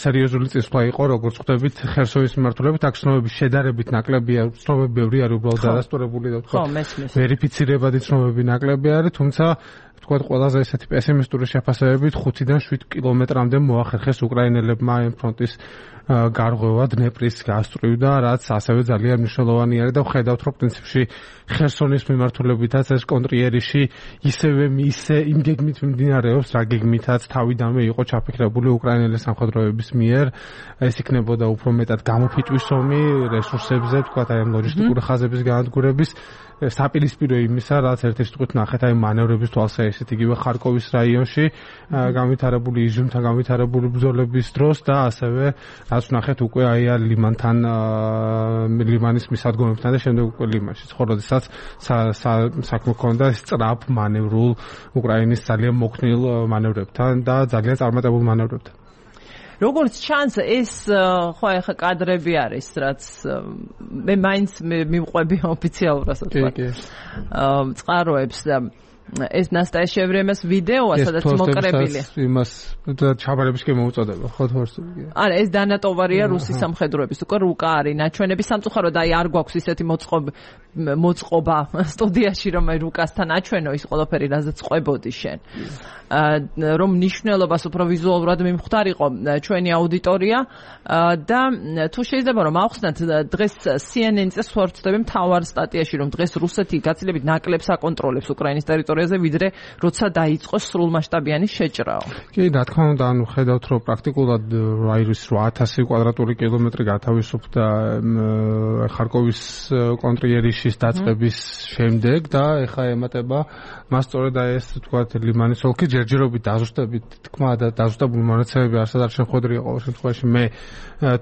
სერიოზული წესვლა იყო, როგორც ხვდებით, ხერსონის მიმართულებით, აქ ცნობები შედარებით ნაკლებია, ცნობები ბევრი არის უბრალოდ დადასტურებული და თქვა ვერიფიცირებადი ცნობები ნაკლები არის, თუმცა თქვა ყველაზე ესეთი პესიმისტური შეფასებებით ხუთიდან შვიდ კილომეტრამდე მოახერხეს უკრაინელებმა ამ ფრონტის გარღვევა დნეპრის გასწვრივ და რაც ასევე ძალიან მნიშვნელოვანი არის და ვხედავთ, რომ პრინციპში ხერსონის მიმართულებითაც ეს კონტრიერიში ისევე ისე იმ გეგმით მიმდინარეობს, რა გეგმითაც თავიდანვე იყო ჩაფიქრებული უკრაინელი სამხედროების მიერ, ეს იქნებოდა უფრო მეტად გამოფიტვის ომი რესურსებზე, თქვა აი ამ ლოჯისტიკური ხაზების განადგურების საპირისპირო იმისა, რაც ერთ სიტყვით ნახეთ აი მანევრების თვალსაჩინო იგივე ხარკოვის რაიონში განვითარებული იზიუმთან განვითარებული ბრძოლების დროს და ასევე რაც ნახეთ უკვე აი ლიმანთან ლიმანის მისადგომებთან და შემდეგ უკვე ლიმანში. ხო, როდესაც საქმე ჰქონდა სწრაფ მანევრულ უკრაინის ძალიან მოქნილ მანევრებთან და ძალიან წარმატებულ მანევრებთან. როგორც ჩანს ეს ხო ახლა კადრები არის, რაც მე მაინც მივყვები ოფიციალურად ვთქვა. წყაროებს და ეს ნასტაია შევრემეს ვიდეოა, სადაც მოკრებილი. იმას ჩაბარებისკენ მოუწოდება, ხო თორს. არა, ეს დანატოვარია რუსის სამხედროების. უკვე რუკა არის ნაჩვენები სამწუხაროდ აი არ გვაქვს ისეთი მოწყობა მოწყობა სტუდიაში, რომ აი რუკასთან აჩვენო ის ყველაფერი, რაზეც ყვებოდი შენ. რომ ნიშნულობას უფრო ვიზუალურად მიმხვდარიყო ჩვენი აუდიტორია და თუ შეიძლება რომ ავხსნათ დღეს C N N-ზე სვარცდები მთავარ სტატიაში რომ დღეს რუსეთი გაცილებით ნაკლებს აკონტროლებს უკრაინის ტერიტორიაზე ვიდრე როცა დაიწყო სრულმასშტაბიანი შეჭრაო. კი, რა თქმა უნდა, ანუ ხედავთ რომ პრაქტიკულად აი ის ორი ათასი კვადრატული კილომეტრი გათავისუფლდა ხარკოვის კონტრიერიშის დაწყების შემდეგ და ეხა ემატება მას სწორედ აი ეს თქვათ ლიმანის ოლქი ჯერჯერობით დაზუსტებით თქმა და დაზუსტებული მონაცემები არც არ შეხვედრია ყოველ შემთხვევაში მე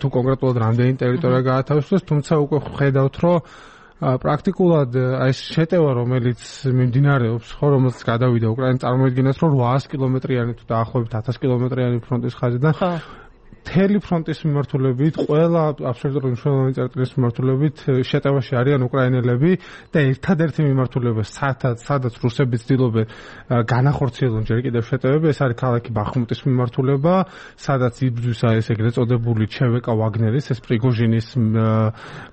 თუ კონკრეტულად რამდენი ტერიტორია გაათავისუფლეს, თუმცა უკვე ხედავთ რომ პრაქტიკულად აი ეს შეტევა რომელიც მიმდინარეობს, ხო, რომელსაც გადავიდა უკრაინა წარმოედგინათ რომ ოთხასი კილომეტრიანი თუ დაახლოებით ათასი კილომეტრიანი ფრონტის ხაზიდან მთელი ფრონტის მიმართულებით, ყველა აბსოლუტურად მნიშვნელოვანი წერტილის მიმართულებით შეტევაში არიან უკრაინელები და ერთადერთი მიმართულება, სადაც სადაც რუსები ცდილობენ განახორციელონ ჯერ კიდევ შეტევები, ეს არის ქალაქი ბახმუტის მიმართულება, სადაც იბრძვის ეს ეგრეთ წოდებული ჩევეკა ვაგნერის, ეს პრიგოჟინის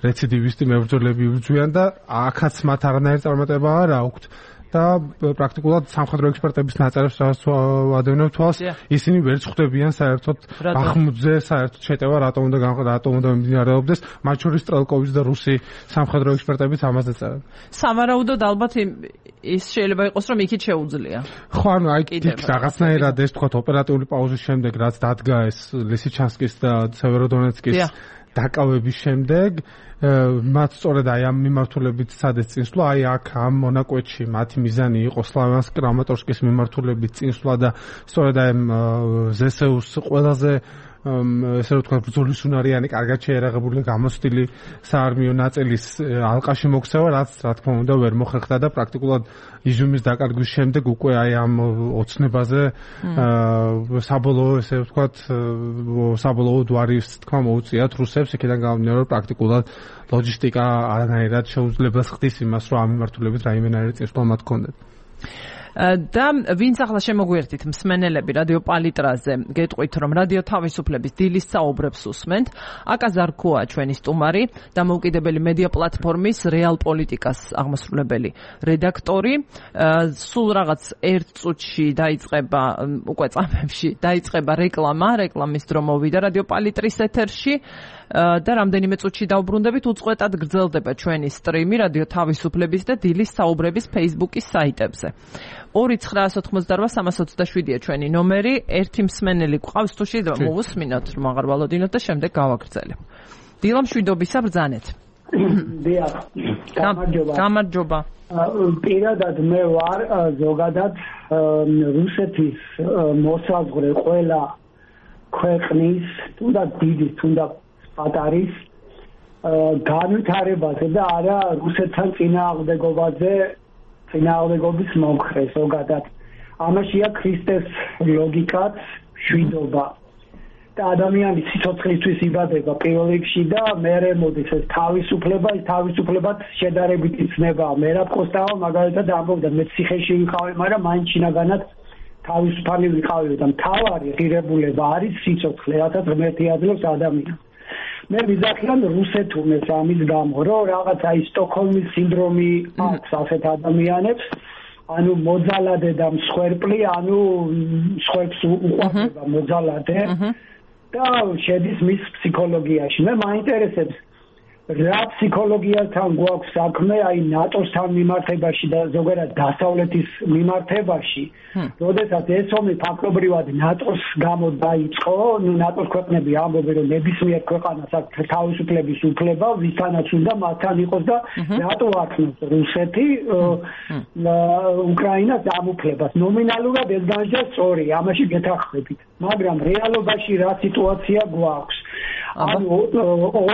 რეციდივისტი მებრძოლები იბრძვიან და აქაც მათ არანაირი წარმატება არ აქვთ. და პრაქტიკულად სამხედრო ექსპერტების ნაწერებს ვადევნებ თვალს, ისინი ვერ წხვდებიან საერთოდ ბახმუტზე საერთოდ შეტევა რატომ უნდა რატომ უნდა მიმდინარეობდეს, მათ შორის სტრელკოვის და რუსი სამხედრო ექსპერტებიც ამაზე წერენ. სავარაუდოდ ალბათ ის შეიძლება იყოს, რომ იქით შეუძლია. ხო, ანუ აი რაღაცნაირად ეს თქვა ოპერატიული პაუზის შემდეგ, რაც დადგა ეს ლისიჩანსკის და სევეროდონეცკის დაკავების შემდეგ მათ სწორედ აი ამ მიმართულებით სადაც წინსვლა, აი აქ ამ მონაკვეთში მათი მიზანი იყო სლავიანსკ კრამატორსკის მიმართულებით წინსვლა და სწორედ აი ზესეუს ყველაზე ესე რომ თქვა ბრძოლის უნარიანი კარგად შეერაღებული გამოცდილი საარმიო ნაწილის ალყაში მოქცევა, რაც რა თქმა უნდა ვერ მოხერხდა და პრაქტიკულად იზიუმის დაკარგვის შემდეგ უკვე აი ამ ოცნებაზე საბოლოო ესე ვთქვათ საბოლოო დვარის თქვა მოუწიათ რუსებს, იქიდან გამომდინარე რომ პრაქტიკულად ლოჯისტიკა არანაირად შეუძლებას ხდის იმას, რომ ამ მიმართულებით რაიმენაირი წინსვლა მათ ჰქონდეთ. და ვინც ახლა შემოგვიერთით მსმენელები რადიო პალიტრაზე, გეტყვით რომ რადიო თავისუფლების დილის საუბრებს უსმენთ. აკა ზარქოა ჩვენი სტუმარი, დამოუკიდებელი მედია პლატფორმის რეალ პოლიტიკას აღმასრულებელი რედაქტორი. სულ რაღაც ერთ წუთში დაიწყება უკვე წამებში დაიწყება რეკლამა, რეკლამის დრო მოვიდა რადიო პალიტრის ეთერში. და რამდენიმე წუთში დავბრუნდებით, უწყვეტად გრძელდება ჩვენი სტრიმი რადიო თავისუფლების და დილის საუბრების Facebook-ის საიტებზე. ორი ცხრაას ოთხმოცდარვა სამას ოცდაშვიდია ჩვენი ნომერი, ერთი მსმენელი გვყავს თუ შეიძლება მოვუსმინოთ, რომ აღარ ვალოდინოთ და შემდეგ გავაგრძელებ. დილა მშვიდობისა, ბრძანეთ. დიახ. გამარჯობა. გამარჯობა. პირადად მე ვარ ზოგადად რუსეთის მოსაზღვრე ყველა ქვეყნის, თუნდაც დიდის, თუნდაც პატარის განვითარებაზე და არა რუსეთთან წინააღმდეგობაზე, წინააღმდეგობის მომხრე ზოგადად. ამაშია ქრისტეს ლოგიკაც, მშვიდობა. და ადამიანის სიცოცხლისთვის იბადება პირველ რიგში და მერე მოდის ეს თავისუფლება, ეს თავისუფლებაც შედარებით იცნება. მე რა პოსტავა მაგალითად ამბობდა, მე ციხეში ვიყავი, მაგრამ მაინც შინაგანად თავისუფალი ვიყავი და მთავარი ღირებულება არის სიცოცხლე, რასაც ღმერთი აძლევს ადამიანს. მე ვიზახიან რუსეთურნეს ამის გამო, რომ რაღაცა ის სტოკჰოლმის სინდრომი აქვს ასეთ ადამიანებს, ანუ მოძალადე და მსხვერპლი, ანუ მსხვერპლს უყვარდება მოძალადე და შედის მის ფსიქოლოგიაში. მე მაინტერესებს რა ფსიქოლოგიასთან გვაქვს საქმე აი ნატოსთან მიმართებაში და ზოგადად დასავლეთის მიმართებაში. როდესაც ეს ომი ფაქტობრივად ნატოს გამო დაიწყო, ნუ ნატოს ქვეყნები ამბობენ რომ ნებისმიერ ქვეყანას აქვს თავისუფლების უფლება, ვისთანაც უნდა მათთან იყოს და რატო აქნობს რუსეთი უკრაინას ამ უფლებას. ნომინალურად ეს განჯა სწორი, ამაში გეთანხმებით. მაგრამ რეალობაში რა სიტუაცია გვაქვს? ანუ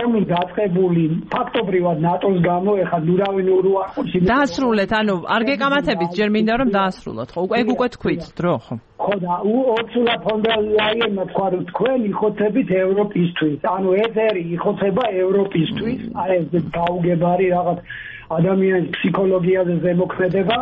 ომი დაწყებული ფაქტობრივად ნატოს გამო, ეხლა ნურავინ უარყოფს. დაასრულეთ, ანუ არ გეკამათებით, ჯერ მინდა რომ დაასრულოთ. ხო, ეგ უკვე თქვით, დრო, ხო. ხო და ურსულა ფონ დერ ლაიენმა თქვა რომ თქვენ იხოცებით ევროპისთვის. ანუ ეს ერი იხოცება ევროპისთვის, აი ეს გაუგებარი რაღაც ადამიანის ფსიქოლოგიაზე ზემოქმედება.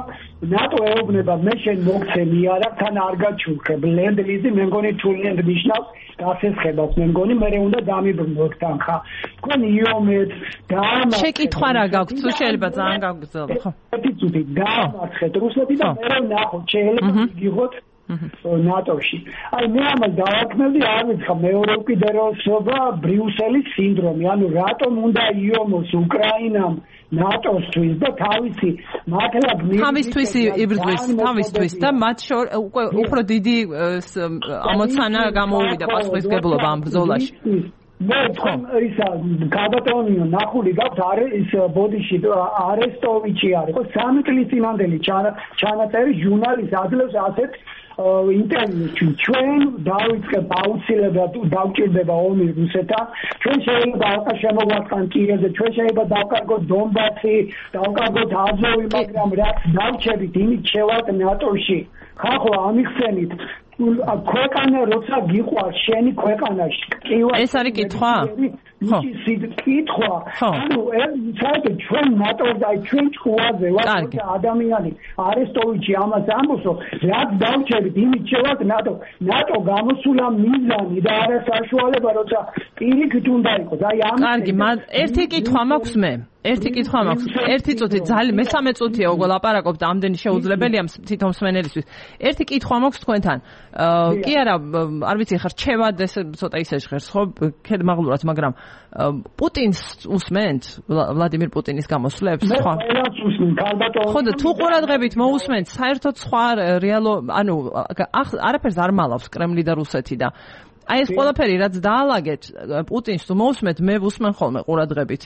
ნატო ეუბნება მე შენ მოგცემი არა, თან არ გაჩუქებ. ლენდ-ლიზი მე მგონი თუ ლენდ ნიშნავს გასესხებას, მე მგონი მე უნდა დამიბრუნოთ თან ხა. თქვენ იომეთ დაამარცხეთ. შეკითხვა რა გაქვთ, თუ შეიძლება ძალიან გავგრძელო, ხო? ერთი წუთი დაამარცხეთ რუსეთი და მე ნახოთ, შეიძლება იგიღოთ ნატოში. აი მე ამას დავაქმნები, არ ვიცი, მეორე უკიდურესობა ბრიუსელის სინდრომი, ანუ რატომ უნდა იომოს უკრაინამ ნატოსთვის და თავისი მართლა თავისთვის იბრძვის, თავისთვის და მათ შორის უკვე უფრო დიდი ამოცანა გამოუვიდა პასუხისმგებლობა ამ ბრძოლაში. მე თქვენ ისა გადატონიო ნახული გაქვთ არის ის ბოდიში არესტოვიჩი არის ხო სამი წლის წინანდელი ჩანაწერი ჟურნალის აძლევს ასეთ ინტერვიუში ჩვენ დავიწყებ აუცილებლად დავჭირდება ომი რუსეთთან ჩვენ შეიძლება ალყა შემოგვაწყან კიევზე ჩვენ შეიძლება დავკარგოთ დონბასი დავკარგოთ აზოვი მაგრამ რაც დავჩებით იმით შევალთ ნატოში ხახო ამიხსენით ქვეყანა როცა გიყვარს შენი ქვეყანაში კივა ეს არის კითხვა? ხო კითხვა ანუ საერთოდ ჩვენ ნატო და ჩვენ ჭუაზე ვარ ადამიანი არესტოვიჩი ამას ამბობს რომ რაც დავჩერით იმით შევად ნატო ნატო გამოსულა მიზანი და არა საშუალება როცა პირიქით უნდა იყოს აი ამ კარგი ერთი კითხვა მაქვს მე ერთი კითხვა მაქვს ერთი წუთი ძალიან მესამე წუთია უკვე ლაპარაკობთ ამდენი შეუძლებელია თვითონ მსმენელისთვის ერთი კითხვა მაქვს თქვენთან კი არა არ ვიცი ხარ რჩევად ეს ცოტა ისე ჟღერს ხო ქედმაღლურად მაგრამ პუტინს usment ვლადიმირ პუტინის გამოსვლებს სხვა ხო და თუ ყურადღებით მოусმენთ საერთოდ სხვა რეალო ანუ არაფერს არ მალავს კრემლი და რუსეთი და აი ეს ყველაფერი რაც დაალაგეთ პუტინს თუ მოусმენთ მე ვუსმენ ხოლმე ყურადღებით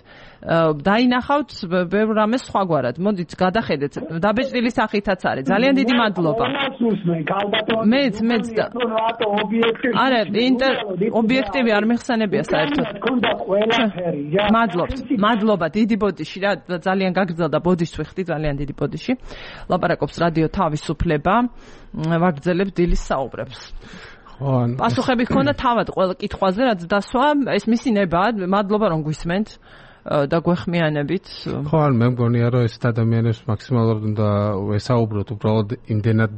დაინახავთ ბევრ რამეს სხვაგვარად მოდით გადახედეთ დაბეჭდილი სახითაც არის ძალიან დიდი მადლობა მეც მეც არა ობიექტივი არ მეხსენებია საერთოდ მადლობთ მადლობა დიდი ბოდიში რა ძალიან გაგრძელდა ბოდიშს ვიხდი ძალიან დიდი ბოდიში ლაპარაკობს რადიო თავისუფლება ვაგრძელებთ დილის საუბრებს პასუხები ჰქონდა თავად ყველა კითხვაზე რაც დასვა ეს მისი ნება მადლობა რომ გვისმენთ და გვეხმიანებით ხო ან მე მგონია რომ ეს ადამიანებს მაქსიმალურად უნდა ვესაუბროთ უბრალოდ იმდენად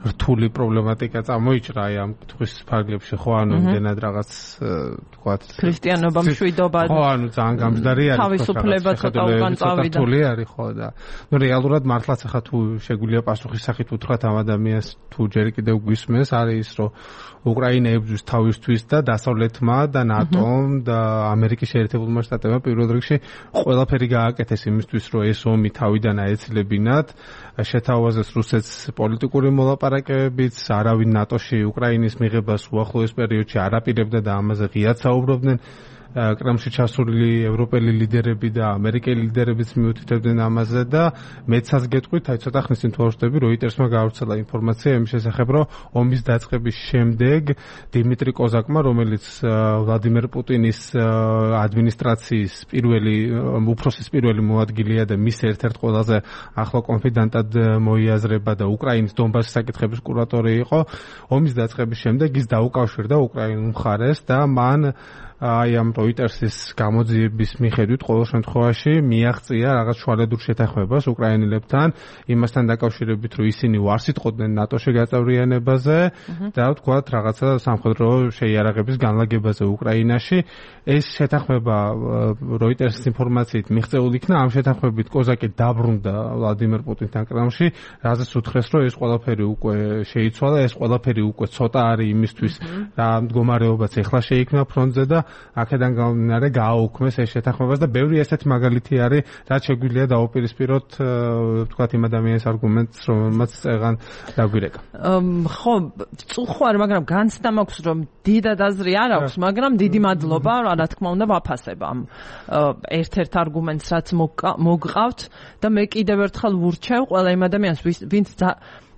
რთული პრობლემატიკა წამოიჭრა აი ამ კითხვის ფარგლებში ხო ანუ იმდენად რაღაც თქვათ ქრისტიანობა მშვიდობა ხო ანუ ძალიან გამჯდარი არის თავისუფლება ცოტა უკან წავიდა რთული არის ხო და ნუ რეალურად მართლაც ახლა თუ შეგვიძლია პასუხის სახით უთხრათ ამ ადამიანს თუ ჯერ კიდევ გვისმენს არის ის რომ უკრაინა ებრძვის თავისთვის და დასავლეთმა და ნატომ და ამერიკის შეერთებულმა შტატებმა პირველ რიგში ყველაფერი გააკეთეს იმისთვის რომ ეს ომი თავიდან აეცილებინათ შეთავაზეს რუსეთს პოლიტიკური მოლაპარაკებებიც არავინ ნატოში უკრაინის მიღებას უახლოეს პერიოდში არ აპირებდა და ამაზე ღიად საუბრობდნენ კრემლში ჩასული ევროპელი ლიდერები და ამერიკელი ლიდერებიც მიუთითებდნენ ამაზე და მეცაც გეტყვით აი ცოტა ხნის წინ თუ ვაშვები როიტერსმა გაავრცელა ინფორმაცია იმის შესახებ რომ ომის დაწყების შემდეგ დიმიტრი კოზაკმა რომელიც ვლადიმერ პუტინის ადმინისტრაციის პირველი უფროსის პირველი მოადგილეა და მის ერთ-ერთ ყველაზე ახლო კონფიდენტად მოიაზრება და უკრაინის დონბასის საკითხების კურატორი იყო ომის დაწყების შემდეგ ის დაუკავშირდა უკრაინულ მხარეს და მან აი ამ როიტერსის გამოძიების მიხედვით ყოველ შემთხვევაში მიაღწია რაღაც შუალედურ შეთანხმებას უკრაინელებთან იმასთან დაკავშირებით რომ ისინი უარს იტყოდნენ ნატოში გაწევრიანებაზე და ვთქვათ რაღაცა სამხედრო შეიარაღების განლაგებაზე უკრაინაში ეს შეთანხმება როიტერსის ინფორმაციით მიღწეული იქნა ამ შეთანხმებით კოზაკი დაბრუნდა ვლადიმერ პუტინთან კრემლში რაზეც უთხრეს რომ ეს ყველაფერი უკვე შეიცვალა ეს ყველაფერი უკვე ცოტა არის იმისთვის რა მდგომარეობაც ეხლა შეიქმნა ფრონტზე და აქედან გამომდინარე გააუქმეს ეს შეთანხმებას და ბევრი ესეთი მაგალითი არის რაც შეგვიძლია დაუპირისპიროთ ვთქვათ იმ ადამიანის არგუმენტს რომელმაც წეგან დაგვირეკა ხო წუხვარ მაგრამ განცდა მაქვს რომ დიდად აზრი არ აქვს მაგრამ დიდი მადლობა რა თქმა უნდა ვაფასებ ამ ერთ-ერთ არგუმენტს რაც მოგყავთ და მე კიდევ ერთხელ ვურჩევ ყველა იმ ადამიანს ვინც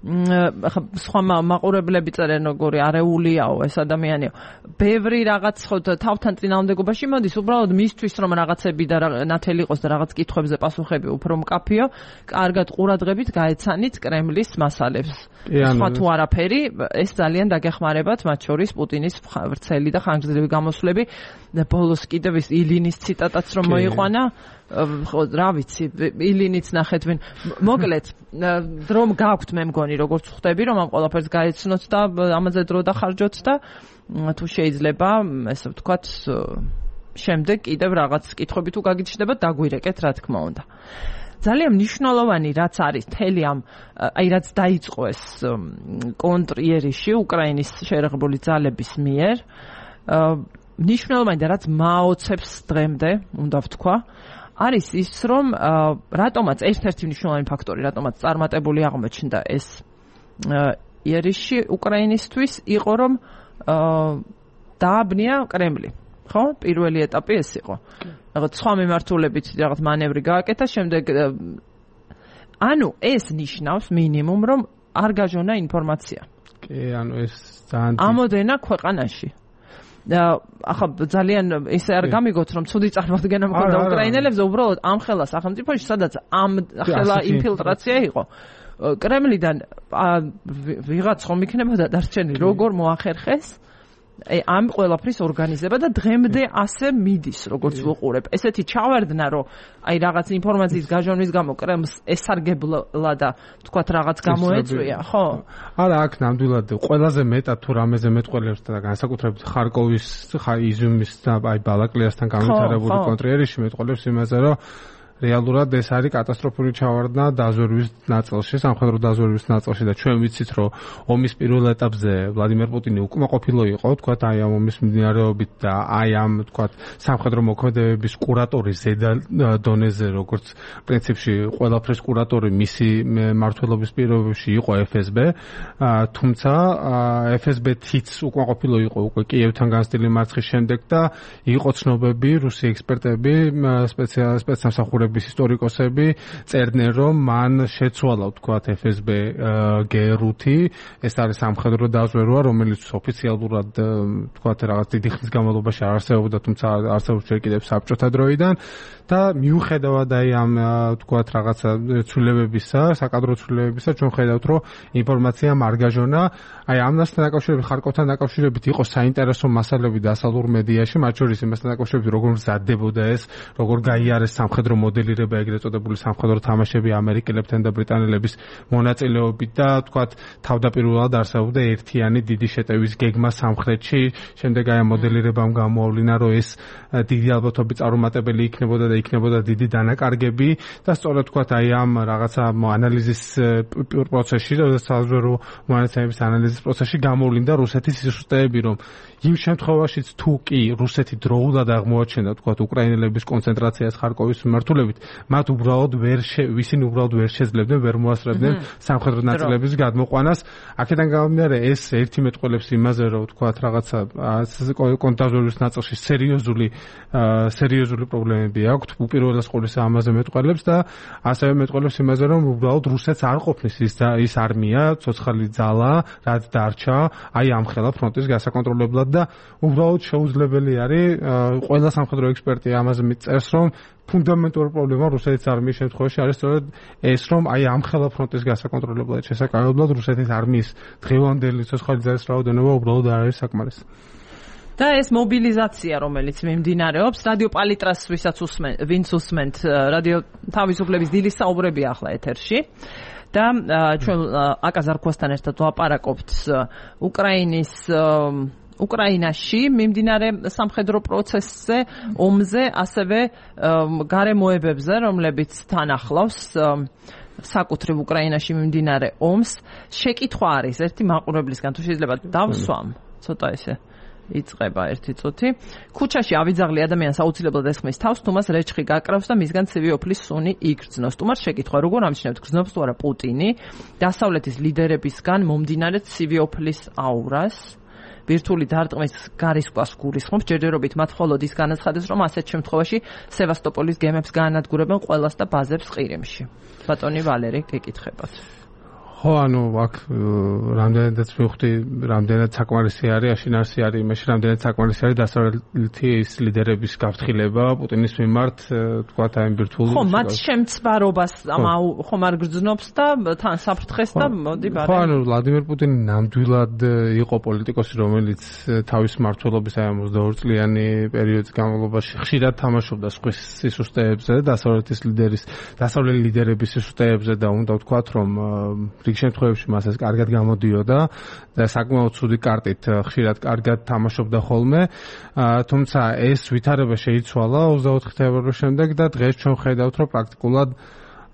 ახლა სხვა მაყურებლები წერენ როგორი არეულიაო ეს ადამიანიო ბევრი რაღაც ხო თავთან წინააღმდეგობაში მოდის უბრალოდ მისთვის რომ რაღაცები და ნათელი იყოს და რაღაც კითხვებზე პასუხები უფრო მკაფიო კარგად ყურადღებით გაეცანით კრემლის მასალებს სხვა თუ არაფერი ეს ძალიან დაგეხმარებათ მათ შორის პუტინის ვრცელი და ხანგრძლივი გამოსვლები ბოლოს კიდევ ის ილინის ციტატაც რომ მოიყვანა ხო რა ვიცი ილინიც ნახეთ ვინ მოკლედ რომ გაქვთ მე მგონი როგორც ხვდები რომ ამ ყველაფერს გაეცნოთ და ამაზე დრო დახარჯოთ და თუ შეიძლება ესე ვთქვათ შემდეგ კიდევ რაღაც კითხვები თუ გაგიჩნდება დაგვირეკეთ რა თქმა უნდა ძალიან მნიშვნელოვანი რაც არის თელი ამ აი რაც დაიწყო ეს კონტრიერიში უკრაინის შეერაღებული ძალების მიერ მნიშვნელოვანი და რაც მაოცებს დღემდე უნდა ვთქვა არის ის რომ რატომაც ერთ-ერთი მნიშვნელოვანი ფაქტორი რატომაც წარმატებული აღმოჩნდა ეს იერიში უკრაინისთვის იყო რომ დააბნია კრემლი ხო პირველი ეტაპი ეს იყო რაღაც სხვა მიმართულებით რაღაც მანევრი გააკეთა შემდეგ ანუ ეს ნიშნავს მინიმუმ რომ არ გაჟონა ინფორმაცია კი ანუ ეს ძალიან ამოდენა ქვეყანაში და ახლა ძალიან ისე არ გამიგოთ რომ ცუდი წარმოდგენა მქონდა უკრაინელებზე უბრალოდ ამ ხელა სახელმწიფოში სადაც ამ ხელა ინფილტრაცია იყო კრემლიდან ვიღაც ხომ იქნებოდა დარჩენილი, როგორ მოახერხეს ამ ყველაფრის ორგანიზება და დღემდე ასე მიდის, როგორც ვუყურებ. ესეთი ჩავარდნა, რომ აი რაღაც ინფორმაციის გაჟონვის გამო კრემლს ესარგებლა და თქვათ რაღაც გამოეწვია, ხო? არა, აქ ნამდვილად ყველაზე მეტად თუ რამეზე მეტყველებს და განსაკუთრებით ხარკოვის, იზიუმის და აი ბალაკლიასთან განვითარებული კონტრიერში მეტყველებს იმაზე, რომ რეალურად ეს არის კატასტროფული ჩავარდნა დაზვერვის ნაწილში, სამხედრო დაზვერვის ნაწილში და ჩვენ ვიცით, რომ ომის პირველ ეტაპზე ვლადიმერ პუტინი უკმაყოფილო იყო, თქვათ, აი ამ ომის მიმდინარეობით და აი ამ, თქვათ, სამხედრო მოქმედებების კურატორი ზედა დონეზე, როგორც პრინციპში ყველაფრის კურატორი მისი მმართველობის პირობებში იყო ეფ ეს ბე, თუმცა ეფ ეს ბე-თიც უკმაყოფილო იყო უკვე კიევთან განცდილი მარცხის შემდეგ და იყო ცნობები, რუსი ექსპერტები, სპეცსამსახურები ისტორიკოსები წერდნენ, რომ მან შეცვალა, თქვათ, ეფ ეს ბე გერუთი, ეს არის სამხედრო დაზვერვა, რომელიც ოფიციალურად, თქვათ, რაღაც დიდი ხნის განმავლობაში არ არსებობდა, თუმცა არსებობს ჯერ კიდევ საბჭოთა დროიდან და მიუხედავად აი ამ, თქვათ, რაღაცა ცვლილებებისა, საკადრო ცვლილებებისა, ჩვენ ხედავთ, რომ ინფორმაცია მარგაჟონა, აი ამასთან დაკავშირებით, ხარკოვთან დაკავშირებით იყო საინტერესო მასალები დასავლურ მედიაში, მათ შორის იმასთან დაკავშირებით, როგორ მზადდებოდა ეს, როგორ გაიარეს სამხედრო მოდელირება, ეგრეთ წოდებული სამხედრო თამაშები ამერიკელებთან და ბრიტანელების მონაწილეობით და, თქვათ, თავდაპირველად არსებობდა ერთიანი დიდი შეტევის გეგმა სამხრეთში, შემდეგ აი ამ მოდელირებამ გამოავლინა, რომ ეს დიდი ალბათობით წარუმატებელი იქნებოდა და იქნებოდა დიდი დანაკარგები და სწორედ, თქვათ, აი ამ რაღაცა ანალიზის პროცესში, საზღვაო მონაცემების ანალიზის პროცესში გამოვლინდა რუსეთის სისუსტეები, რომ იმ შემთხვევაშიც თუ კი რუსეთი დროულად აღმოაჩენდა, თქვათ, უკრაინელების კონცენტრაციას ხარკოვის მიმართულებით, მათ უბრალოდ ვერ ვისინი უბრალოდ ვერ შეძლებდნენ, ვერ მოასწრებდნენ სამხედრო ნაწილების გადმოყვანას. აქედან გამომდინარე, ეს ერთი მეტყველებს იმაზე, რომ, თქვათ, რაღაცა კონტაზვერვის ნაწილში სერიოზული სერიოზული პრობლემები აქვს, უპირველეს ყოვლისა ამაზე მეტყველებს და ასევე მეტყველებს იმაზე, რომ უბრალოდ რუსეთს არ ყოფნის ის ის არმია, ცოცხალი ძალა, რაც დარჩა, აი ამ ხელა ფრონტის გასაკონტროლებლად და უბრალოდ შეუძლებელი არის, ყველა სამხედრო ექსპერტი ამაზე მიწერს, რომ ფუნდამენტური პრობლემა რუსეთის არმიის შემთხვევაში არის სწორედ ეს, რომ აი ამ ხელა ფრონტის გასაკონტროლებლად შესაძლებლად რუსეთის არმიის დღევანდელი ცოცხალი ძალის რაოდენობა უბრალოდ არ არის საკმარისი. და ეს მობილიზაცია, რომელიც მიმდინარეობს, რადიო პალიტრას, ვისაც უსმენთ, ვინც უსმენთ, რადიო თავისუფლების დილის საუბრები ახლა ეთერში. და ჩვენ აკაზარქვასთან ერთად ვაპარაკობთ უკრაინის უკრაინაში მიმდინარე სამხედრო პროცესზე, ომზე, ასევე გარემოებებზე, რომლებიც თან ახლავს საკუთრივ უკრაინაში მიმდინარე ომს. შეკითხვა არის ერთი მაყურებლისგან, თუ შეიძლება დავსვამ, ცოტა ესე იწყება ერთი წუთი. ქუჩაში ავიძაღლი ადამიანს აუცილებლად ესხმის თავს, თუმას რეჩხი გაკრავს და მისგან ცივი ოფლის სუნი იგრძნოს. თუმას შეკითხვა, როგორ ამჩნევთ, გრძნობს თუ არა პუტინი დასავლეთის ლიდერებისგან მომდინარე ცივი ოფლის აურას? ბირთვული დარტყმის გარისკვას გულისხმობს, ჯერჯერობით მათ მხოლოდ ის განაცხადეს, რომ ასეთ შემთხვევაში სევასტოპოლის გემებს გაანადგურებენ ყველას და ბაზებს ყირიმში. ბატონი ვალერი, გეკითხებათ. ხო, ანუ აქ რამდენადაც მივხვდი, რამდენად საკმარისი არის, აშინარსი არის იმაში, რამდენად საკმარისი არის დასავლეთის ლიდერების გაფრთხილება პუტინის მიმართ, თქვათ, აი ბირთვული. ხო, მათ შემცვარობას ხომ არ გრძნობს და თან საფრთხეს და მოდი ბარე. ხო, ანუ ვლადიმერ პუტინი ნამდვილად იყო პოლიტიკოსი, რომელიც თავის მმართველობის აი ოცდაორ წლიანი პერიოდის განმავლობაში ხშირად თამაშობდა სხვის სისუსტეებზე, დასავლეთის ლიდერის, დასავლელი ლიდერების სისუსტეებზე და უნდა ვთქვათ, რომ რიგ შემთხვევებში მას ეს კარგად გამოდიოდა და საკმაოდ ცუდი კარტით ხშირად კარგად თამაშობდა ხოლმე. თუმცა ეს ვითარება შეიცვალა ოცდაოთხი თებერვლის შემდეგ და დღეს ჩვენ ხედავთ, რომ პრაქტიკულად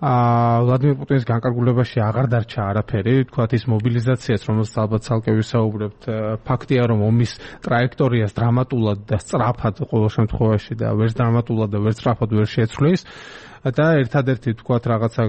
ვლადიმერ პუტინის განკარგულებაში აღარ დარჩა არაფერი, თქვათ ის მობილიზაციაც, რომელსაც ალბათ ცალკე ვისაუბრებთ, ფაქტია, რომ ომის ტრაექტორიას დრამატულად და სწრაფად ყოველ შემთხვევაში და ვერც დრამატულად და ვერც სწრაფად ვერ შეცვლის. და ერთადერთი, თქვათ, რაღაცა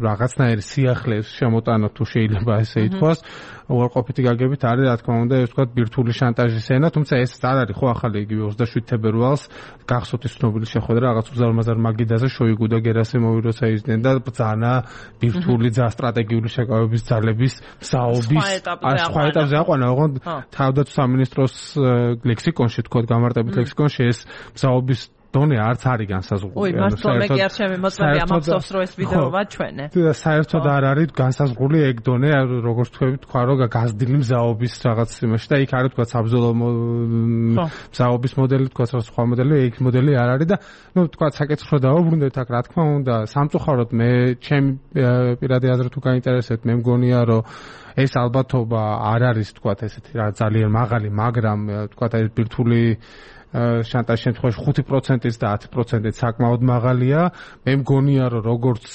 რაღაცნაირი სიახლეს შემოტანა, თუ შეიძლება ესე ითქვას, უარყოფითი გაგებით არის, რა თქმა უნდა, ეს თქვათ ბირთვული შანტაჟის ენა, თუმცა ეს არ არის ხო ახალი იგივე ოცდაშვიდ თებერვალს გახსოვთ ის ცნობილი შეხვედრა რაღაც უზარმაზარ მაგიდაზე შოიგუ და გერასიმოვი როცა იძდნენ და ბრძანა ბირთვული ძა სტრატეგიული შეკავების ძალების მსაობის სხვა ეტაპზე აყვანა, ოღონდ თავდაცვის სამინისტროს ლექსიკონში, თქვათ, გამარტებით ლექსიკონში ეს მსაობის დონე არც არის განსაზღვრული. ой, მართლა მე კი არ შემიმოწმები ამ აფსოს რო ეს ვიდეო ვაჩვენე. და საერთოდ არ არის განსაზღვრული ეგ დონე, როგორც თქვი თქვა რომ გაზრდილი მზაობის რაღაც იმაში და იქ არის თქვა საბრძოლო მზაობის მოდელი, თქვა სხვა მოდელი, ეგ მოდელი არ არის და ნუ თქვა საკითხს რო დავუბრუნდეთ აქ, რა თქმა უნდა, სამწუხაროდ მე ჩემი პირადი აზრით თუ გაინტერესებთ, მე მგონია რომ ეს ალბათობა არ არის თქვა ესეთი რა ძალიან მაღალი, მაგრამ თქვა ეს ბირთვული შანტაჟის შემთხვევაში ხუთი პროცენტიც და ათი პროცენტიც საკმაოდ მაღალია. მე მგონია რომ როგორც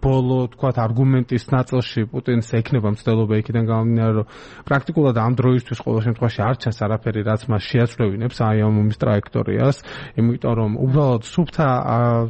ბოლო თქვა არგუმენტის ნაწილში პუტინს ექნება მცდელობა იქიდან გამომდინარე რომ პრაქტიკულად ამ დროისთვის ყოველ შემთხვევაში არ ჩანს არაფერი რაც მას შეაცვლევინებს აი ამ ომის ტრაექტორიას, იმიტომ რომ უბრალოდ სუფთა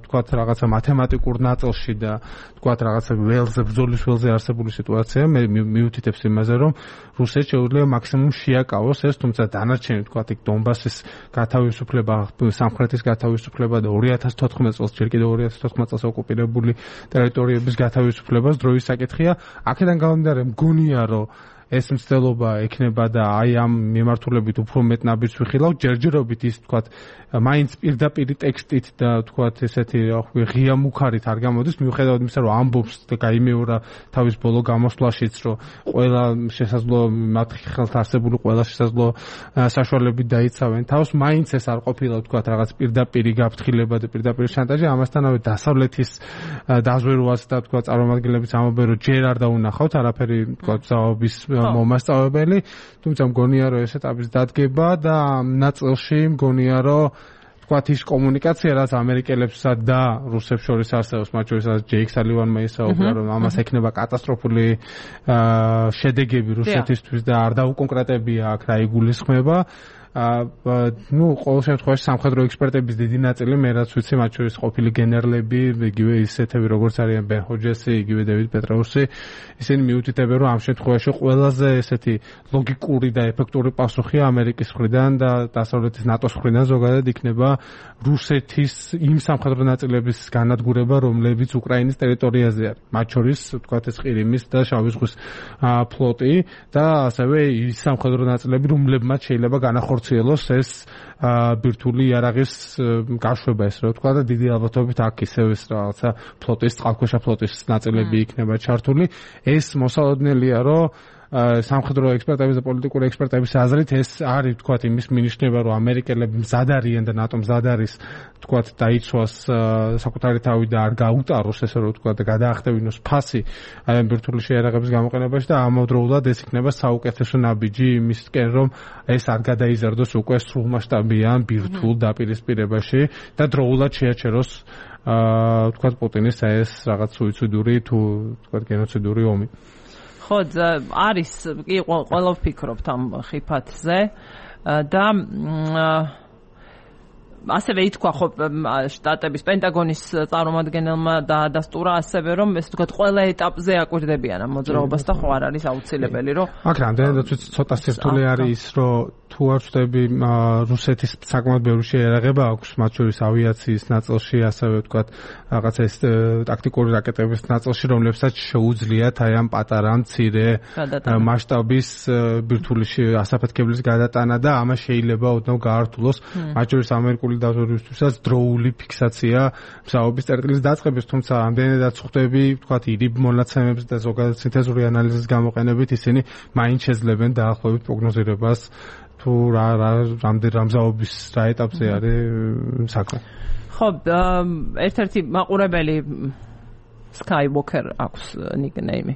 თქვა რაღაცა მათემატიკურ ნაწილში და თქვა რაღაცა ველზე ბრძოლის ველზე არსებული სიტუაცია მე მიუთითებს იმაზე რომ რუსეთს შეუძლია მაქსიმუმ შეაკავოს ეს, თუმცა დანარჩენი თქვა იქ დონბასის გათავისუფლება, სამხრეთის გათავისუფლება და ორი ათას თოთხმეტ წელს ჯერ კიდევ ორი ათას თოთხმეტ წელს ოკუპირებული ტერიტორიების გათავისუფლებას დროის საკითხია. აქედან გამომდინარე მგონია რომ ეს მცდელობა ექნება და აი ამ მიმართულებით უფრო მეტ ნაბიჯს ვიხილავ, ჯერჯერობით ის თქვა მაინც პირდაპირ ტექსტით და თქვა ესეთი ღია მუქარით არ გამოდის, მიუხედავად იმისა რომ ამბობს და გაიმეორა თავის ბოლო გამოსვლაშიც რომ ყველა შესაძლო მათ ხელთ არსებული ყველა შესაძლო საშუალებით დაიცავენ თავს, მაინც ეს არ ყოფილა თქვა რაღაც პირდაპირი გაფრთხილება და პირდაპირი შანტაჟი, ამასთანავე დასავლეთის დაზვერვას და თქვა წარმომადგენლების ამბობენ რომ ჯერ არ დაუნახავთ არაფერი თქვა ზაობის მომასწავლებელი, თუმცა მგონია რომ ეს ეტაპის დადგება და ნაწილში მგონია რომ თქვათ ის კომუნიკაცია რაც ამერიკელებსა და რუსებს შორის არსებობს, მათ შორის ჯეიკ სალივანმა ისაუბრა რომ ამას ექნება კატასტროფული შედეგები რუსეთისთვის და არ დაუკონკრეტებია აქ რა იგულისხმება. ну, ყოველ შემთხვევაში სამხედრო ექსპერტების დიდი ნაწილი მე რაც ვიცი, მათ შორის ყოფილი გენერლები, იგივე ისეთები როგორც არიან ბენ ჰოჯესი, იგივე დევიდ პეტრაუსი, ისინი მიუთითებენ რომ ამ შემთხვევაში ყველაზე ესეთი ლოგიკური და ეფექტური პასუხია ამერიკის მხრიდან და დასავლეთის ნატოს მხრიდან ზოგადად იქნება რუსეთის იმ სამხედრო ნაწილების განადგურება, რომლებიც უკრაინის ტერიტორიაზე არის. მათ შორის თქვათ ეს ყირიმის და შავი ზღვის ფლოტი და ასევე ის სამხედრო ნაწილები, რომლებმაც შეიძლება განახორციელოს ეს ბირთვული იარაღის გაშვება, ეს რა თქვა და დიდი ალბათობით აქ ისევ ეს რაღაცა ფლოტის, წყალქვეშა ფლოტის ნაწილები იქნება ჩართული. ეს მოსალოდნელია, რომ სამხედრო ექსპერტების და პოლიტიკური ექსპერტების აზრით ეს არის თქვათ იმის მინიშნება, რომ ამერიკელები მზად არიან და ნატო მზად არის თქვათ დაიცვას საკუთარი თავი და არ გაუტაროს ესე რომ თქვათ და გადაახტევინოს ფასი აი ამ ბირთვული შეიარაღების გამოყენებაში და ამავდროულად ეს იქნება საუკეთესო ნაბიჯი იმისკენ რომ ეს არ გადაიზარდოს უკვე სრულმასშტაბიან ბირთვულ დაპირისპირებაში და დროულად შეაჩეროს თქვათ პუტინის ეს რაღაც სუიციდური თუ თქვათ გენოციდური ომი. ხო, არის კი ყველა ვფიქრობთ ამ ხიფათზე და ასევე ითქვა ხო შტატების პენტაგონის წარმომადგენელმა დაადასტურა ასევე რომ ეს თქვა ყველა ეტაპზე აკვირდებიან ამ მოძრაობას და ხო არ არის აუცილებელი რომ აქ რამდენადაც ცოტა სირთულე არის ის რომ თუ არ ვწდები რუსეთის საკმაოდ ბევრი შეიარაღება აქვს, მათ შორის ავიაციის ნაწილში, ასევე თქვა რაღაც ეს ტაქტიკური რაკეტების ნაწილში, რომლებსაც შეუძლიათ აი ამ პატარა მცირე მასშტაბის ბირთვული ასაფეთქებლის გადატანა და ამას შეიძლება ოდნავ გაართულოს, მათ შორის ამერიკული დაზვერვისთვისაც დროული ფიქსაცია მზაობის წერტილის დაწყების, თუმცა ამდენადაც ხვდები თქვა ირიბ მონაცემებს და ზოგადად სინთეზური ანალიზის გამოყენებით ისინი მაინც შეძლებენ დაახლოებით პროგნოზირებას თუ რა რა რამდენ რამზაობის რა ეტაპზე არის საქმე. ხო, ერთ-ერთი მაყურებელი Skywalker აქვს ნიკნეიმი,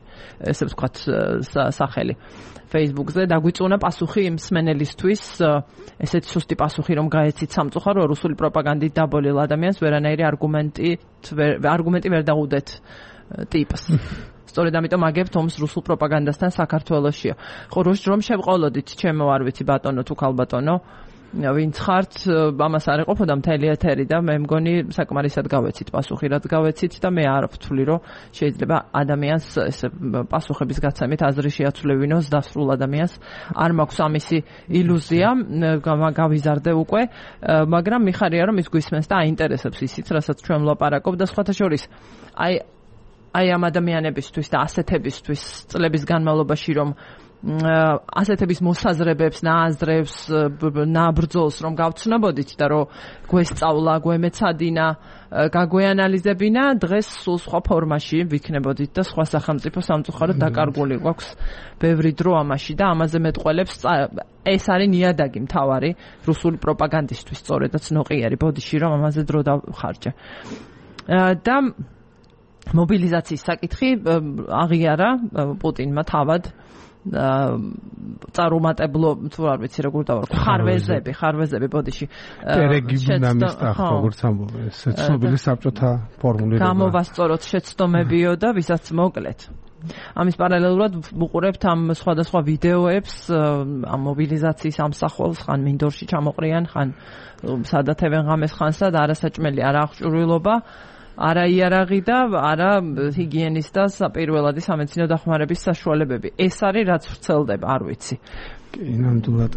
ესე ვთქვათ სახელი Facebook-ზე, დაგვიწუნა პასუხი იმ მსმენელისთვის, ესეთი სუსტი პასუხი რომ გაეცით სამწუხარო რუსული პროპაგანდით დაბოლილ ადამიანს ვერანაირი არგუმენტი არგუმენტი ვერ დაუდეთ ტიპს. სწორედ ამიტომ აგებთ ომს რუსულ პროპაგანდასთან საქართველოსშია. ხო, რომ შევყოლოდით, ჩემო არ ვიცი ბატონო თუ ქალბატონო, ვინც ხართ, ამას არ ეყოფოდა მთელი ეთერი და მე მგონი საკმარისად გავეცით პასუხი, რაც გავეცით და მე არ ვთვლი, რომ შეიძლება ადამიანს ესე პასუხების გაცემით აზრი შეაცვლევინოს დასრულ ადამიანს. არ მაქვს ამისი ილუზია, გავიზარდე უკვე, მაგრამ მიხარია რომ ის გვისმენს და აინტერესებს ისიც, რასაც ჩვენ ვლაპარაკობ და სხვათა შორის აი აი ამ ადამიანებისთვის და ასეთებისთვის წლების განმავლობაში რომ ასეთების მოსაზრებებს, ნააზრებს, ნაბრძოლს რომ გავცნობოდით და რომ გვესწავლა, გვემეცადინა, გაგვეანალიზებინა, დღეს სულ სხვა ფორმაში ვიქნებოდით და სხვა სახელმწიფო სამწუხაროდ დაკარგული გვაქვს ბევრი დრო ამაში და ამაზე მეტყველებს ეს არის ნიადაგი მთავარი რუსული პროპაგანდისტვის სწორედაც ნოყიერი ბოდიში რომ ამაზე დრო დავხარჯე. და მობილიზაციის საკითხი აღიარა პუტინმა თავად წარუმატებლო თუ არ ვიცი როგორ დავარქვა ხარვეზები ხარვეზები ბოდიში პერეგიბუნამისტა როგორც ამბობენ ეს ცნობილი საბჭოთა ფორმულირება გამოვასწოროთ შეცდომებიო და ვისაც მოკლეთ ამის პარალელურად ვუყურებთ ამ სხვადასხვა ვიდეოებს ამ მობილიზაციის ამსახველს ხან მინდორში ჩამოყრიან ხან სადათევენ ღამეს ხანსა და არასაჭმელი არა აღჭურვილობა არა იარაღი და არა ჰიგიენის და პირველადი სამედიცინო დახმარების საშუალებები. ეს არის რაც ვრცელდება, არ ვიცი. კი, ნამდვილად.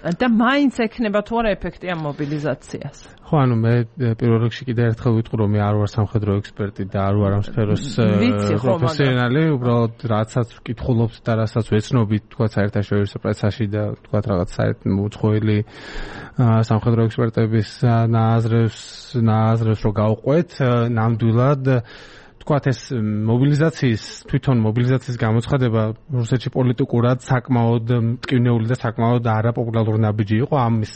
და მაინც ექნება თუ არა ეფექტი ამ მობილიზაციას. ხო, ანუ მე პირველ რიგში კიდე ერთხელ ვიტყვი რომ მე არ ვარ სამხედრო ექსპერტი და არ ვარ ამ სფეროს პროფესიონალი, უბრალოდ რაცაც ვკითხულობთ და რასაც ვეცნობთ, თქვა საერთაშორისო პრესაში და თქვა რაღაც საერთმოუწყოელი სამხედრო ექსპერტების ნააზრევს ნააზრევს რო გავყვეთ, ნამდვილად თქვათ ეს მობილიზაციის თვითონ მობილიზაციის გამოცხადება რუსეთში პოლიტიკურად საკმაოდ მტკივნეული და საკმაოდ არაპოპულარული ნაბიჯი იყო ამის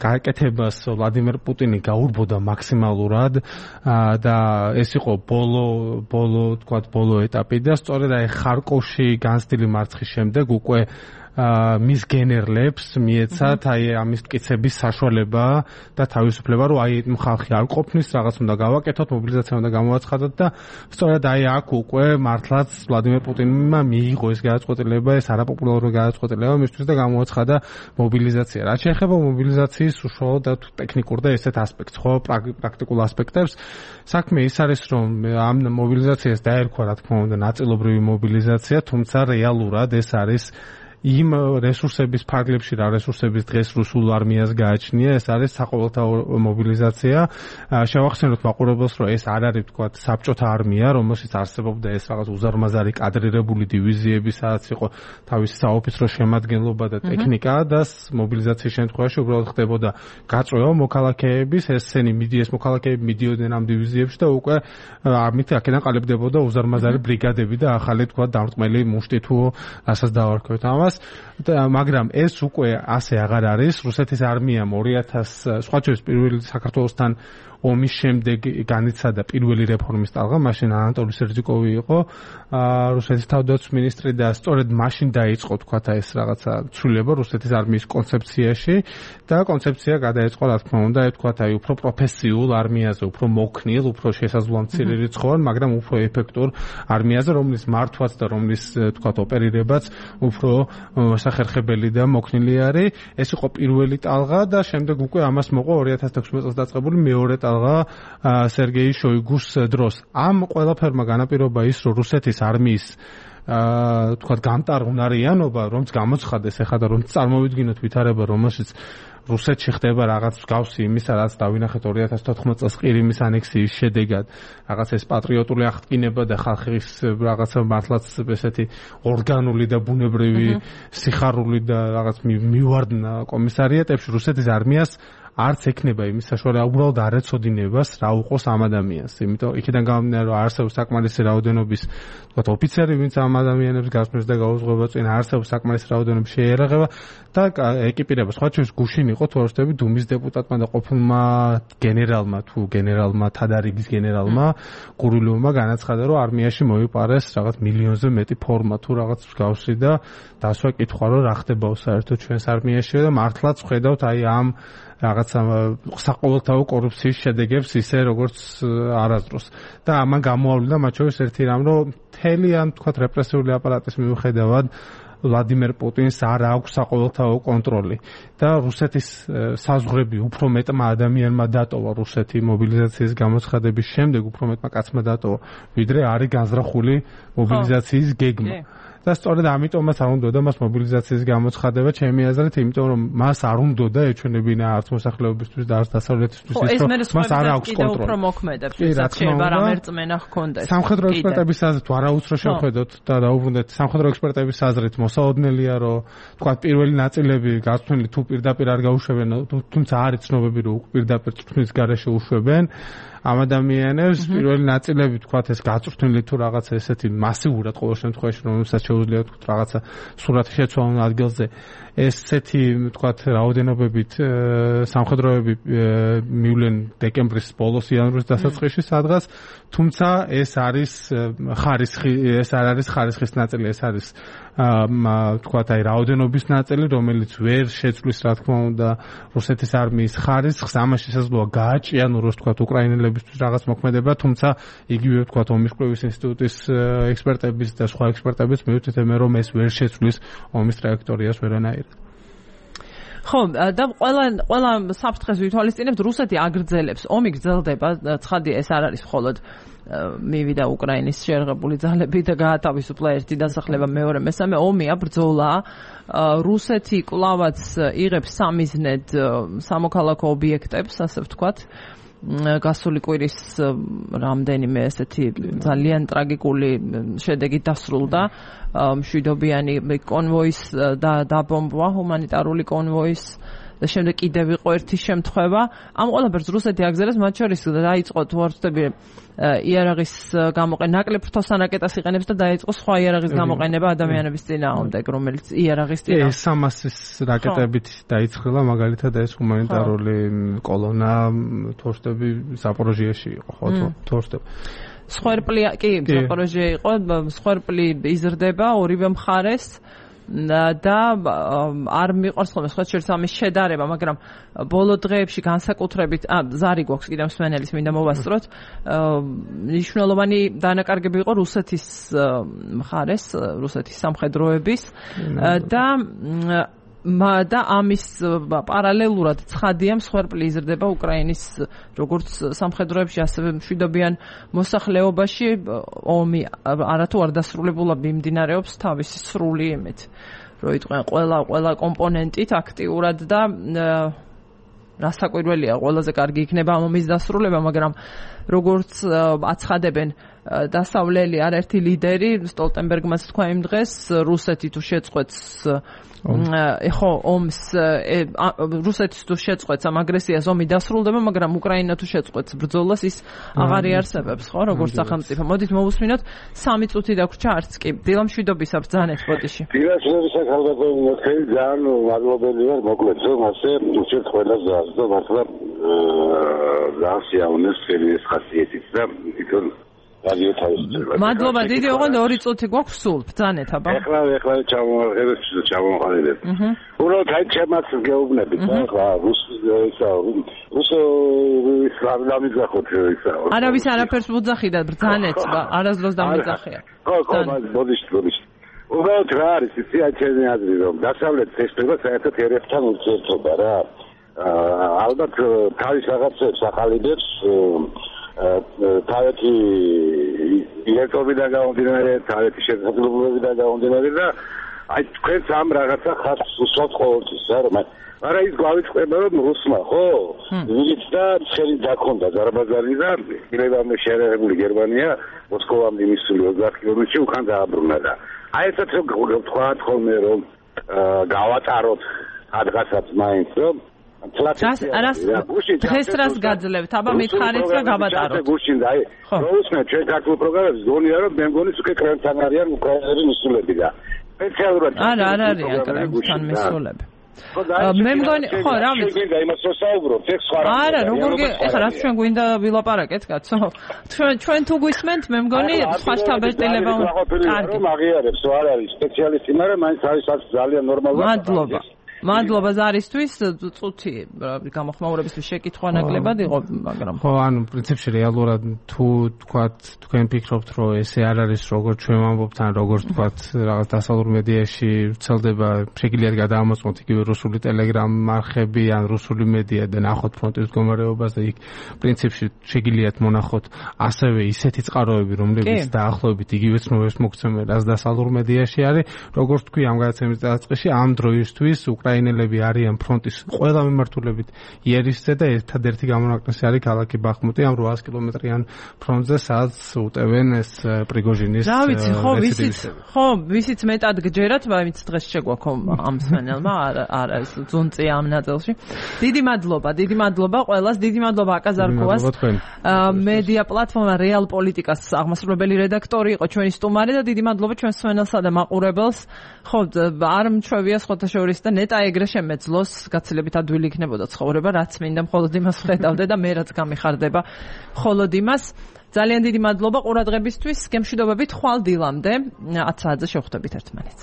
გააკეთებას ვლადიმერ პუტინი გაურბოდა მაქსიმალურად და ეს იყო ბოლო ბოლო თქვათ ბოლო ეტაპი და სწორედ აი ხარკოვში განცდილი მარცხის შემდეგ უკვე მის გენერლებს მიეცათ აი ამის მტკიცების საშუალება და თავისუფლება რომ აი ხალხი არ ყოფნის რაღაც უნდა გავაკეთოთ მობილიზაცია უნდა გამოვაცხადოთ და სწორედ აი აქ უკვე მართლაც ვლადიმერ პუტინმა მიიღო ეს გადაწყვეტილება ეს არაპოპულარული გადაწყვეტილება მისთვის და გამოვაცხადა მობილიზაცია რაც შეეხება მობილიზაციის უშუალო და ტექნიკურ და ესეთ ასპექტს ხო პრაქტიკულ ასპექტებს საქმე ის არის რომ ამ მობილიზაციას დაერქვა რა თქმა უნდა ნაწილობრივი მობილიზაცია თუმცა რეალურად ეს არის იმ რესურსების ფარგლებში რა რესურსების დღეს რუსულ არმიას გააჩნია ეს არის საყოველთაო მობილიზაცია შევახსენოთ მაყურებელს რომ ეს არ არის თქვათ საბჭოთა არმია რომელშიც არსებობდა ეს რაღაც უზარმაზარი კადრირებული დივიზიები სადაც იყო თავისი საოფიცრო შემადგენლობა და ტექნიკა და მობილიზაციის შემთხვევაში უბრალოდ ხდებოდა გაწვევა მოქალაქეების ესენი მიდიეს მოქალაქეები მიდიოდნენ ამ დივიზიებში და უკვე ამით აქედან ყალიბდებოდა უზარმაზარი ბრიგადები და ახალი თქვათ დამრტყმელი მუშტი თუ რასაც დავარქვეთ ამას მაგრამ ეს უკვე ასე აღარ არის რუსეთის არმიამ ორი ათას სხვა შორის პირველი საქართველოსთან ომის შემდეგ განიცადა პირველი რეფორმის ტალღა მაშინ ანატოლი სერძიკოვი იყო რუსეთის თავდაცვის მინისტრი და სწორედ მაშინ დაიწყო თქვათ ეს რაღაცა ცვლილება რუსეთის არმიის კონცეფციაში და კონცეფცია გადაეწყო რა თქმა უნდა თქვათ აი უფრო პროფესიულ არმიაზე უფრო მოქნილ უფრო შესაძლოა მცირე რიცხოვან მაგრამ უფრო ეფექტურ არმიაზე რომლის მართვაც და რომლის თქვათ ოპერირებაც უფრო სახერხებელი და მოქნილი არის ეს იყო პირველი ტალღა და შემდეგ უკვე ამას მოყვა ორი ათას თექვსმეტ წელს დაწყებული მეორე სერგეი შოიგუს დროს ამ ყველაფერმა განაპირობა ის რომ რუსეთის არმიის აა თქვა გამტარღვნარიანობა რომც გამოცხადეს ეხლა და რომ წარმოვიდგინოთ ვითარება რომელშიც რუსეთში ხდება რაღაც მსგავსი იმისა რაც დავინახეთ ორი ათას თოთხმეტ წელს ყირიმის ანექსიის შედეგად რაღაც ეს პატრიოტული აღდგინება და ხალხის რაღაცა მართლაც ესეთი ორგანული და ბუნებრივი სიხარული და რაღაც მივარდნა კომისარიატებში რუსეთის არმიას არც ექნება იმის საშუალება უბრალოდ არ ეცოდინებას რა უყოს ამ ადამიანს იმიტომ იქიდან გამომდინარე რომ არსებობს საკმარისი რაოდენობის თქვათ ოფიცერი ვინც ამ ადამიანებს გასმის და გაუძღვება წინ არსებობს საკმარისი რაოდენობის შეიარაღება და ეკიპირება სხვა შორის გუშინ იყო თუ არ ვშტები დუმის დეპუტატმა და ყოფილმა გენერალმა თუ გენერალმა თადარიგის გენერალმა გურულოვმა განაცხადა რომ არმიაში მოიპარეს რაღაც მილიონზე მეტი ფორმა თუ რაღაც მსგავსი და დასვა კითხვა რომ რა ხდებაო საერთოდ ჩვენს არმიაში და მართლაც ხედავთ აი ამ რაღაცა საყოველთაო კორუფციის შედეგებს ისე როგორც არასდროს და ამან გამოავლინდა მათ შორის ერთი რამ რომ მთელი ამ თქვათ რეპრესიული აპარატის მიუხედავად ვლადიმერ პუტინს არ აქვს საყოველთაო კონტროლი და რუსეთის საზღვრები უფრო მეტმა ადამიანმა დატოვა რუსეთი მობილიზაციის გამოცხადების შემდეგ უფრო მეტმა კაცმა დატოვა ვიდრე არის განზრახული მობილიზაციის გეგმა და სწორედ ამიტომაც არ უნდა მას მობილიზაციის გამოცხადება ჩემი აზრით, იმიტომ რომ მას არ უნდა ეჩვენებინა არც მოსახლეობისთვის და არც დასავლეთისთვის ის რომ მას არ აქვს კონტროლი. უფრო მოქმედებს, ვისაც შეიძლება რამერწმენა ჰქონდეს. სამხედრო ექსპერტების აზრით ვარაუცრო შევხედოთ და დაუბრუნდეთ სამხედრო ექსპერტების აზრით მოსაოდნელია რომ თქვა პირველი ნაწილები გაწვნილი თუ პირდაპირ არ გაუშვებენ, თუმცა არის ცნობები რომ პირდაპირ წვნის გარეშე უშვებენ ამ ადამიანებს. პირველი ნაწილები თქვათ ეს გაწვრთნილი თუ რაღაცა ესეთი მასიურად ყოველ შემთხვევაში რომელსაც შეუძლია თქვათ რაღაცა სურათი შეცვალონ ადგილზე ესეთი თქვათ რაოდენობებით სამხედროები მივლენ დეკემბრის ბოლოს იანვრის დასაწყისში სადღაც, თუმცა ეს არის ხარისხი, ეს არ არის ხარისხის ნაწილი, ეს არის თქვათ აი რაოდენობის ნაწილი, რომელიც ვერ შეცვლის რა თქმა უნდა რუსეთის არმიის ხარისხს. ამაში შესაძლოა გააჭიანუროს თქვათ უკრაინელებისთვის რაღაც მოქმედება, თუმცა იგივე თქვათ ომის კვლევის ინსტიტუტის ექსპერტების და სხვა ექსპერტების მიუთითებენ რომ ეს ვერ შეცვლის ომის ტრაექტორიას ვერანაირად. ხო, და ყველა ყველა საფრთხეს ვითვალისწინებთ, რუსეთი აგრძელებს, ომი გრძელდება, ცხადია ეს არ არის მხოლოდ მივიდა უკრაინის შეერღებული ძალები და გაათავისუფლა ერთი დასახლება, მეორე, მესამე ომია, ბრძოლაა. რუსეთი კვლავაც იღებს სამიზნედ სამოქალაქო ობიექტებს, ასე ვთქვათ. გასული კვირის რამდენიმე ესეთი ძალიან ტრაგიკული შედეგი დასრულდა მშვიდობიანი კონვოის დაბომბვა, ჰუმანიტარული კონვოის და შემდეგ კიდევ იყო ერთი შემთხვევა. ამ ყველაფერს რუსეთი აგრძელებს, მათ შორის დაიწყო თუ არ ვცდები იარაღის გამოყენება, ნაკლებ ფრთოსანაკეტას იყენებს და დაიწყო სხვა იარაღის გამოყენება ადამიანების წინააღმდეგ, რომელიც იარაღის წინააღმდეგ. ეს სამასის რაკეტებით დაიწყება მაგალითად ეს ჰუმანიტარული კოლონა თუ არ ვცდები ზაპოროჟიაში იყო, ხო თუ არ ვცდები. სხერპლი კი ზაპოროჟია იყო, სხერპლი იზრდება ორივე მხარეს. და არ მიყვარს ხოლმე სხვა შორის ამის შედარება, მაგრამ ბოლო დღეებში განსაკუთრებით ზარი გვაქვს კიდევ მსმენელის მინდა მოვასწროთ, მნიშვნელოვანი დანაკარგები იყო რუსეთის მხარეს, რუსეთის სამხედროების და და ამის პარალელურად ცხადია მსხვერპლი იზრდება უკრაინის როგორც სამხედროებში, ასევე მშვიდობიან მოსახლეობაში. ომი არათუ არ დასრულებულა მიმდინარეობს თავისი სრული იმით, რომ იტყვიან ყველა ყველა კომპონენტით აქტიურად და რასაკვირველია, ყველაზე კარგი იქნება ამ ომის დასრულება, მაგრამ როგორც აცხადებენ დასავლელი არაერთი ლიდერი, სტოლტენბერგმაც თქვა იმ დღეს, რუსეთი თუ შეწყვეტს ეხო ომს რუსეთის თუ შეწყვეტს ამ აგრესიას, ომი დასრულდება, მაგრამ უკრაინა თუ შეწყვეტს ბრძოლას, ის აღარ იარსებებს, ხო, როგორც სახელმწიფო. მოდით მოვუსმინოთ, სამი წუთი დაგვრჩა, არც კი. დილა მშვიდობისა ბრძანეთ ბოდიში. დილა მშვიდობისა ხალხო, მოხელი ძალიან მადლობელი ვარ, მოკლედ, რომ ასე უჩერდ ყველას და მართლა ძალიან შეაუნეს ხელი ეს ხასიათით და თვითონ რადიო თავისუფლება. მადლობა დიდი, ოღონდ ორი წუთი გვაქვს სულ, ბრძანეთ აბა. ეხლა ეხლა ჩამოვარდეთ, ჩამოვარდეთ. უბრალოდ აი ჩემაც გეუბნებით, ახლა რუსი ისა რუსო ისლამის გახოთ ისა. არავის არაფერს ვუძახიდა, ბრძანეთ, არასდროს დამიძახია. ხო, ხო, ბოდიში, ბოდიში. უბრალოდ რა არის, იცი აი ჩემი აზრი, რომ დასავლეთის ექსპერტები საერთოდ ერებთან ურთიერთობა რა. ალბათ თავის რაღაცებს ახალიდებს თავეთი ილექტრობიდან გამომდინარე, თავეთი შესაძლებლობებიდან გამომდინარე და აი თქვენს ამ რაღაცა ხარჯს უსვამთ ყოველთვის რა, რომ არა ის გავიწყდება რომ რუსმა, ხო? ვიღიც და ხელი დაქონდა ზარბაზანი და მილევამე შეერაღებული გერმანია მოსკოვამდე მისული ოცდაათ კილომეტრში უკან დააბრუნა და აი ესეც რომ თქვათ ხოლმე რომ გავატაროთ ადგასაც მაინც რომ დღეს დღეს რას გაძლევთ? აბა მითხარით რა გავატაროთ? გუშინ და აი რუსმა ჩვენ ქართულ პროგრამებს გონია რომ მე მგონი უკვე კრემლთან არიან უკრაინელი მისულები და სპეციალურად არა არ არიან კრემლთან მისულები. მე მგონი ხო რა ვიცი გვინდა იმას რომ საუბრობთ ეს სხვა რა არა როგორ ეხლა რაც ჩვენ გვინდა ვილაპარაკეთ კაცო ჩვენ ჩვენ თუ გვისმენთ მე მგონი სხვა შტაბ-ეტილება კარგი რომ აღიარებს არ არის სპეციალისტი მაგრამ მაინც არის ძალიან ნორმალურად მადლობა მადლობა ზარისთვის, წუთი გამოხმაურებისთვის შეკითხვა ნაკლებად იყო, მაგრამ ხო, ანუ პრინციპში რეალურად თუ თქვათ თქვენ ფიქრობთ, რომ ესე არ არის როგორც ჩვენ ვამბობთ, ან როგორც თქვათ რაღაც დასავლურ მედიაში ვრცელდება, შეგიძლიათ გადაამოწმოთ იგივე რუსული ტელეგრამ არხები ან რუსული მედია და ნახოთ ფრონტის მდგომარეობას და იქ პრინციპში შეგიძლიათ მონახოთ ასევე ისეთი წყაროები, რომლებიც დაახლოებით იგივე ცნობებს მოგცემენ, რაც დასავლურ მედიაში არის, როგორც თქვი ამ გადაცემის დასაწყისში, ამ დროისთვის უკრაინელები არიან ფრონტის ყველა მიმართულებით იერისზე და ერთადერთი გამონაკლისი არის ქალაქი ბახმუტი ამ რვაას კილომეტრიან ფრონტზე, სადაც უტევენ ეს პრიგოჟინის რა ვიცი, ხო, ვისიც, ხო, ვისიც მეტად გჯერათ, მაინც დღეს შეგვაქვს ამ სვენელმა, არა ეს ძუნწი ამ ნაწილში. დიდი მადლობა, დიდი მადლობა ყველას, დიდი მადლობა აკაზარკოვას. მედია პლატფორმა რეალ პოლიტიკას აღმასრულებელი რედაქტორი იყო ჩვენი სტუმარი და დიდი მადლობა ჩვენ სვენელსა და მაყურებელს. ხო, არ მჩვევია სხვათა შორის და ნეტა ეგრე შემეძლოს, გაცილებით ადვილი იქნებოდა ცხოვრება, რაც მინდა მხოლოდ იმას ხედავდე და მე რაც გამიხარდება მხოლოდ იმას. ძალიან დიდი მადლობა ყურადღებისთვის, გემშვიდობებით ხვალ დილამდე, ათ საათზე შევხვდებით ერთმანეთს.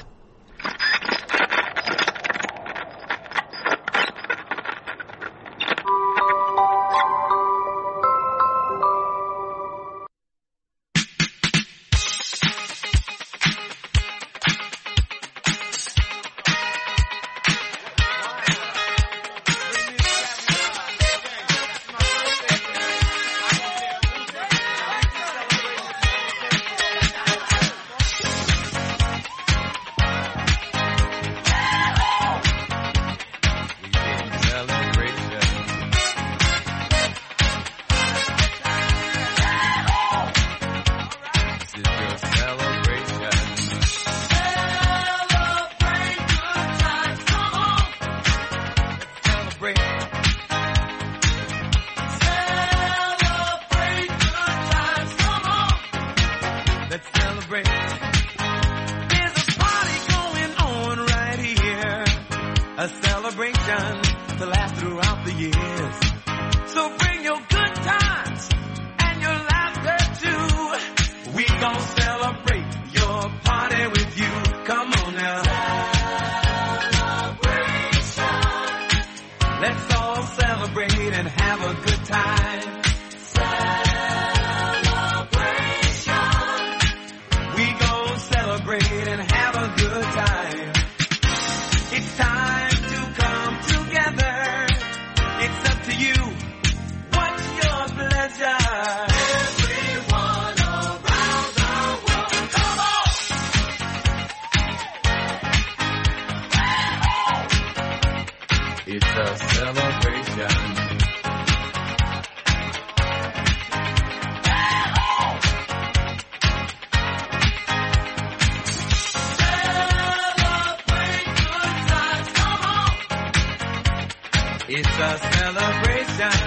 It's a celebration.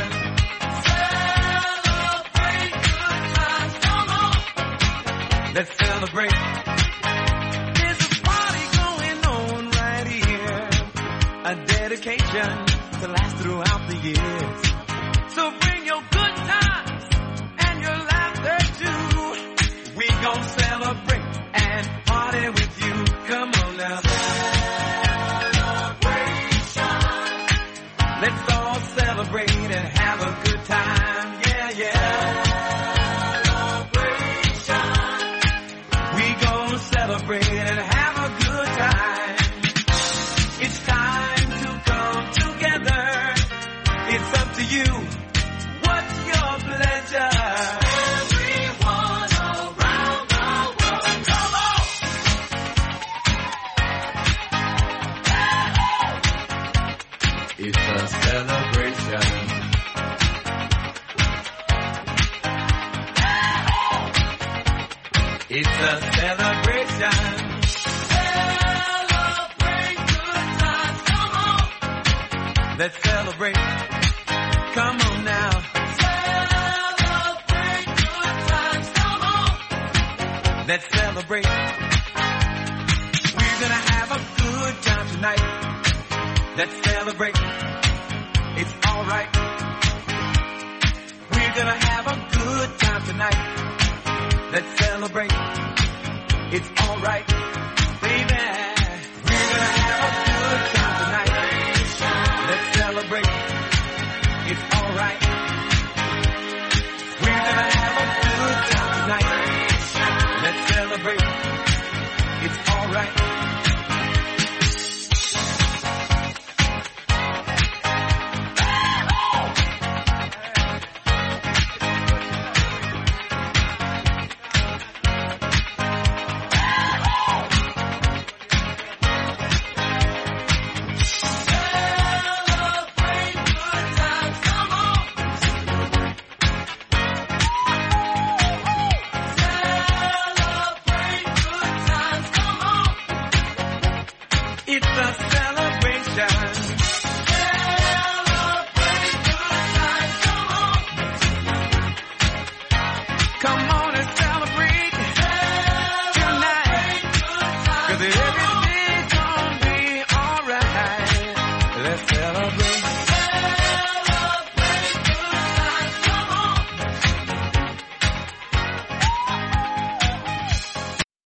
Celebrate good times, come on. Let's celebrate. There's a party going on right here. A dedication to last throughout the years. So bring your good times and your laughter too. We gon' celebrate and party with you. Come on now. Let's all celebrate and have a good time, yeah, yeah. Celebration. We gon' celebrate and have a good time. It's time to come together. It's up to you. What's your pleasure? Everyone around the world, come on. It's a celebration. It's a celebration. Celebrate good times, come on. Let's celebrate. Come on now. Celebrate good times, come on. Let's celebrate. We're gonna have a good time tonight. Let's celebrate. It's alright. We're gonna have a good time tonight. Let's celebrate. It's alright, baby.